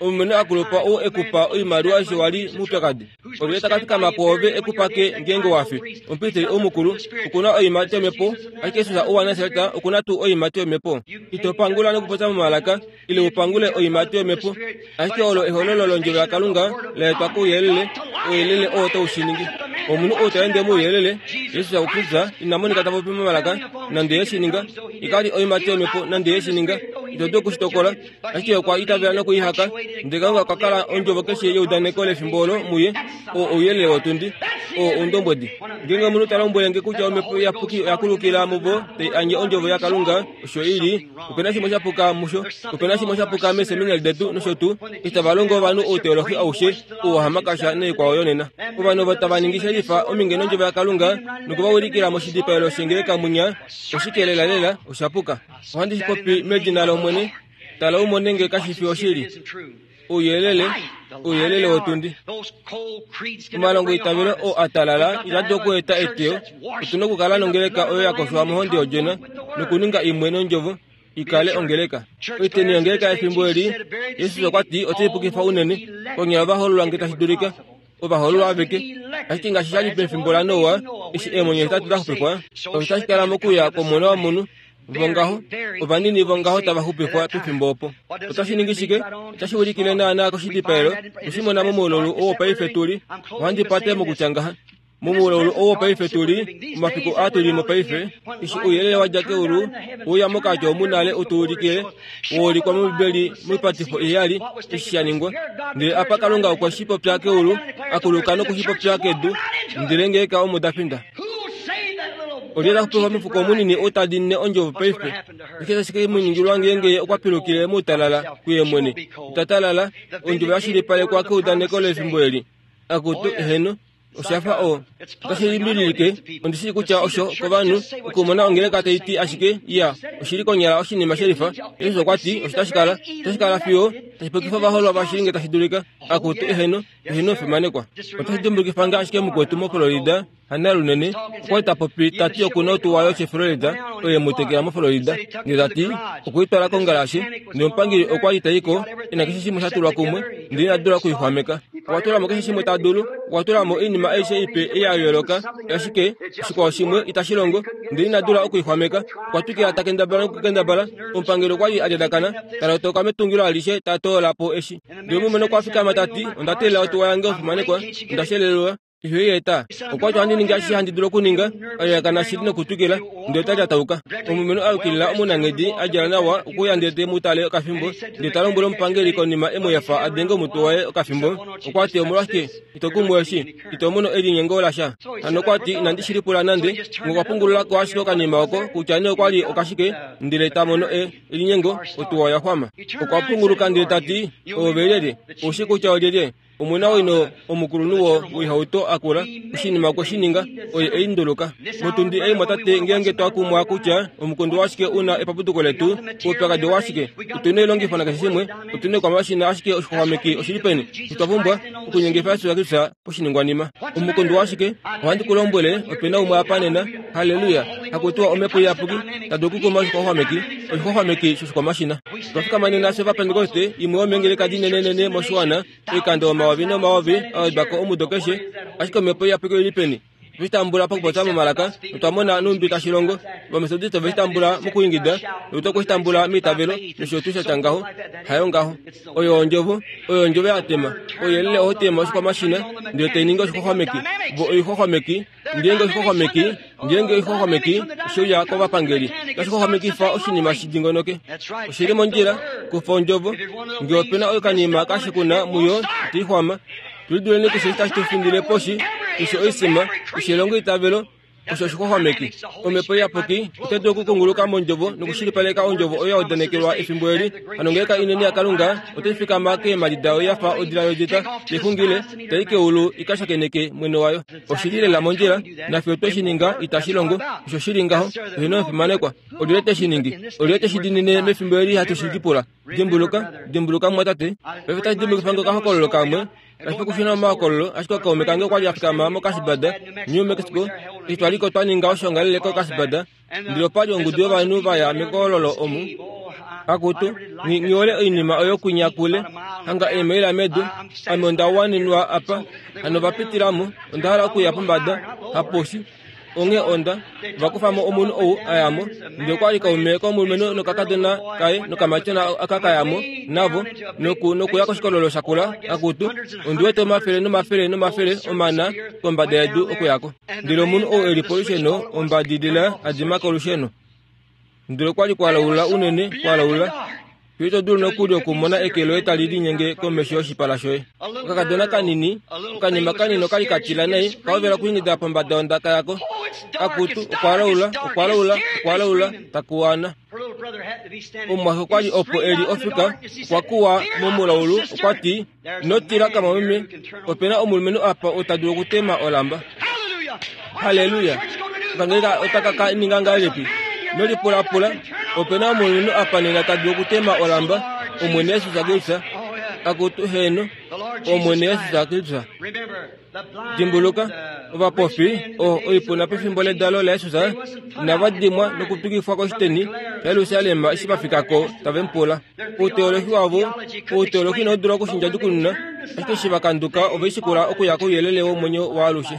Omumeno akulupa ou ekupa oimaliwa eshi wali moupyakadi. Olyelye ta ka fikama pwoove ekupake ngeenge wafi? Omupristeli ou mukulu okuna oiimati yomhepo, ashike Jesus ou waNasaret okuna tuu oiimati yomhepo? Ito pangula nokupopya momalaka ile upangule oiimati yomhepo, ashike olo ehololo londjovo yaKalunga la etwa kouyelele, ouyelele oo tau shi ningi. Omunhu ou ta ende mouyelele, Jesus Kristus ina monika ta popi momalaka nande ye shi ninga. Ikali oiimati yomhepo nande ye shi ninga. Ito dulu okushitokola, ashike okwa itavela nokuihaka. Ndele Kalunga okwa kala ondjovo keshe yeudaneko lefimbo olo muye, oo ouyelele wotundi, oo oundombwedi. Ngeenge omunhu ta lombwele nge kutya omhepo iyapuki oya kulukila muvo tai anye ondjovo yaKalunga, osho i li, opena shimwe sha puka musho, opena shimwe sha puka meeseminari detu nosho tuu, eshi tava longo ovanhu outeolohi aushe ou wahamakasha noikwao yonena. Ovanhu ovo tava ningi shelifa ominge nondjovo yaKalunga nokuvaulikila moshidipaelo shengeleka munya, oshike lelalela osha puka. Ohandi shi popi medina lOmwene. Tala umone nge kashi fi oshili. Ouyelele, ouyelele wotundi. Omalongo eitavelo oo a talala ita dulu okueta eteyo. Otu na okukala nongeleka oyo ya koshwa mohonde yOdjona nokuninga imwe nondjovo ikale ongeleka. Oiteni yongeleka yefimbo eli, Jesus okwa ti otai pukifa unene konyala ovahoololwa nge tashi dulika. Ovahoololwa aveke. Ashike ngaashi sha li pefimbo laNoa, eshi eemwenyo hetatu da xupifwa, osho tashi kala mokuya kwOmona wOmunhu. Vongaho, ovanini vongaho tava xupifwa pefimbo opo. Otashi ningi shike? Otashi ulikile naanaa koshidipaelo. Oshimona momuululu oo paife tuli. Ohandi pate mokutya ngaha. Momuululu oo paife tuli, omafiku aa tuli mo paife, eshi ouyelele wa dja keulu uya mokati omunale utuulikile, woulikwa mOmbibeli moipatifo iheyali eshi sha ningwa. Ndele apa Kalunga okwe shi popya keulu, akuluka noku shi popya kedu, ndele ngeeka omo da finda. Olyelye ta xupifa omufuko munini ou ta dinine ondjovo paife? Oshike tashi ke mu ningilwa ngeenge okwa pilukile moutalala kuye mwene? Ita talala, ondjovo ya shilipalekwa keudaneko lefimbo eli. Akutu, eheno, osha fa oo. Otashi limbililike, ondi shii kutya osho kovanhu okumona ongeleka tai ti ashike iya, oshili konyala oshinima shelifa. Jesus okwa ti osho tashi kala, otashi kala fiyo tashi pukifa ovahoololwa vashili nge tashi dulika. Akutu, eheno, eheno fimanekwa. Otashi dimbulikifa nge ashike mukwetu moFlorida, Hana lunene, okwa li ta popi ta ti okuna otuwa yoChevrolet oyo mu tekela moFlorida. Ndele ta ti okwe i twala kongalashe, ndele omupangeli okwa li ta i ko e na keshe shimwe sha tulwa kumwe, ndele ina dula okuixwameka. Okwa tula mo keshe shimwe ta dulu, okwa tula mo oinima aishe ipe ei ya yooloka, ashike oshikwao shimwe itashi longo, ndele ina dula okuixwameka. Okwa twikila ta kendabala nokukendabala. Omupangeli okwa li a lyadakana, ta lotoka metungilo alishe ta toola po eshi. Ndele omulumenhu okwa fikama ta ti, onda teelela otuwa yange omufimanekwa, onda shelelelwa. Ihe i eta. Okwa ti ohandi ningi ashishe handi dulu okuninga, a shili nokutwikila, ndele ota lyatauka. Omulumenhu a yukilila omunanghedi a djala nawa okuya ndele te mu tale okafimbo, ndele ta lombwele omupangeli konima e mu efa a denge omutwe waye okafimbo. Okwa ti omolwashike ito kumu eshi, ito mono elinyengo lasha. Hano okwa ti inandi shi lipula nande, okwa pungulula ko ashike okanima oko kutya nee okwa li okashike, ndele ta mono e elinyengo, otuwa oya xwama. Okwa punguluka ndele ta ti, oove lyelye? Ou shii kutya olyelye? Omuna wino omukulunhu woihauto akula, oshinima okwe shi ninga, oye ei nduluka. Motundi ei mwatate ngeenge twa kumwa kutya omukundu washike una epapuduko letu, oupyakadi washike, otuna oilongifo nakeshe shimwe, otuna oikwamashina ashike oshixwaxwameki oshili peni, otwa pumbwa okunyengifa Jesus Kristus poshiningwanima. Omukundu washike, ohandi ku lombwele, opena umwe apa nena, haleluya, hakutiwa omhepo iyapuki, ta dulu okukuma oshixwaxwameki, oshixwaxwameki shoshikwamashina. Otwa fikama nena fye Ovapentekoste, imwe yomeengeleka dinenenene moshiwana, oikando omayovi nomayovi a wedwa ko omudo keshe, ashike omhepo iyapuki oili peni? Otwe shi tambula pakupopya momalaka, notwa mona nhumbi tashi longo. Ovametodiste ove shi tambula mokuingida, notu okwe shi tambula meitavelo, nosho tuu sha tya ngaho. Hayo ngaho. Oyo ondjovo, oyo ondjovo ya tema. Ouyelele oho tema oshikwamashina, ndele tai ningi oshixwaxwameki. Vo oixwaxwameki, ngeenge oshixwaxwameki, ngeenge oixwaxwameki oshe uya kovapangeli, otashi xwaxwamekifa oshinima shi dingonoke. Oshili mondjila, kufa ondjovo. Ngee opena okanima kashikuna muyo, itai xwama. Tuliduleni keshe tashi tu findile poshi, keshe oisima, keshe elongo itavelo, Osho oshixwaxwameki. Omhepo Iyapuki otai dulu okukunguluka mondjovo nokushilipaleka ondjovo oyo ya udanekelwa efimbo eli. Hano ongeleka inene yaKalunga otai fikama keemhadi dayo ya fa odila yodjeta tai xungile, tai keulu i ka shakeneke mwene wayo. Oshili lela mondjila, nafye otwe shi ninga itashi longo. Osho shili ngaho, eheno omufimanekwa. Olyelye te shi ningi? Olyelye te shi diinine mefimbo eli hatu shi lipula? Dimbuluka, dimbuluka mumwatate. Paife otashi dimbukifa nge okahokololo kamwe. Kashi fi okushuna momahokololo, ashike kaume kange okwa li a fikama moKasbad, New Mexico, eshi twa liko twa ninga oshoongalele koKasbad, ndele opa li ongudu yovanhu va ya mekololo omu. Akutu, nghi hole oinima oyo kwinya kule, hanga eemaila medu, ame onda wanenwa apa, hano va pitila mo, onda hala okuya pombada, haposhi. Onghee onda va kufa mo omunhu ou a ya mo, ndele okwa li kaume komulumenhu nokakadona kaye nokamatyona aka ka ya mo navo, noku nokuya koshikololo shakula. Akutu, ondi wete omafele nomafele nomafele omana kombada yedu okuya ko. Ndele omunhu ou e li polusheno ombadilila a dima kolusheno. Ndele okwa li kwa laula unene, kwa laula, fiyo ito dulu nokuli okumona eke loye tali linyenge komesho yoshipala shoye. Okakadona kanini, okanima kanini okali ka tila nai, ka hovela okuingida pombada yondaka yako. Akutu, okwa laula, okwa laula, okwa laula, takuwana. Omumwaxe okwa li opo e li ofika, okwa kuwa momulaulu, okwa ti, Ino tila kamwameme, ope na omulumenhu apa ou ta dulu okutema olamba. Halleluya! Okangeleka otaka ka ninga ngahelipi? Ino lipulapula, ope na omulumenhu apa nena ta dulu okutema olamba, Omwene Jesus Kristus. Akutu, heeno, Omwene Jesus Kristus. Dimbuluka, ovapofi, oh, oipuna pefimbo ledalo laJesus, inava dimwa nokutukifwa koshiteni shaJerusalem eshi va fika ko tave mu pula. Outeolohi wavo, outeolohi inau dula okushindjadukununa, ashike eshi va kanduka ove shikula okuya kouyelele womwenyo waalushe.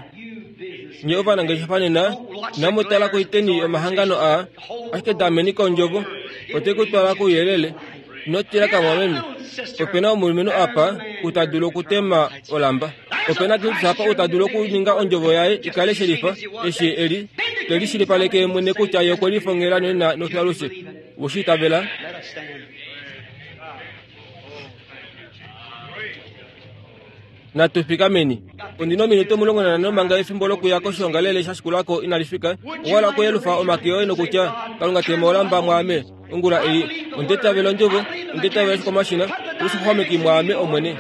Nye ovanangeshefa nena, inamu tala koiteni yomahangano aa, ashike dameni kondjovo, otai ku twala kouyelele. Ino tila kamwameme, ope na omulumenhu apa ou ta dulu okutema olamba. Ope na Kristus apa ou ta dulu okuninga ondjovo yaye i kale shelifa, eshi e li te lishilipaleke ye mwene kutya ye okwe lifongela nena nofiyo-alushe. Owe shi itavela? Natu fikameni. Ondi na ominute omulongo nanhano manga efimbo lokuya koshoongalele sha shikula ko inali fika. Owa hala okuyelufa omake oye nokutya, Kalunga tema olamba mwaame ongula ei. Onda itavela ondjovo, onda itavela oshikwamashina, oshixwaxwameki mwaame, Omwene.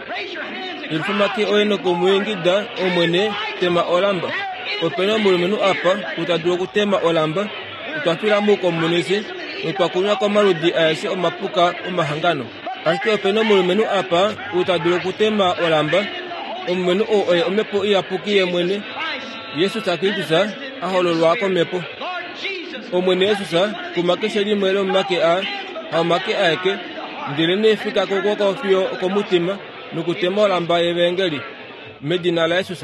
Yelufa omake oye nokumwiingida, Omwene, tema olamba. Ope na omulumenhu apa ou ta dulu okutema olamba. Otwa fila moukomunisi notwa kunwa komaludi aeshe omapuka omahangano. Ashike ope na omulumenhu apa ou ta dulu okutema olamba. Omulumenhu oo oye Omhepo Iyapuki ye mwene, Jesus Kristus, a hololwa kOmhepo. Omwene Jesus, kuma keshe limwe lomomake aa, haomake aeke, ndelenee fika kokwooko fiyo okomutima, nokutema olamba yevaengeli. Medina laJesus.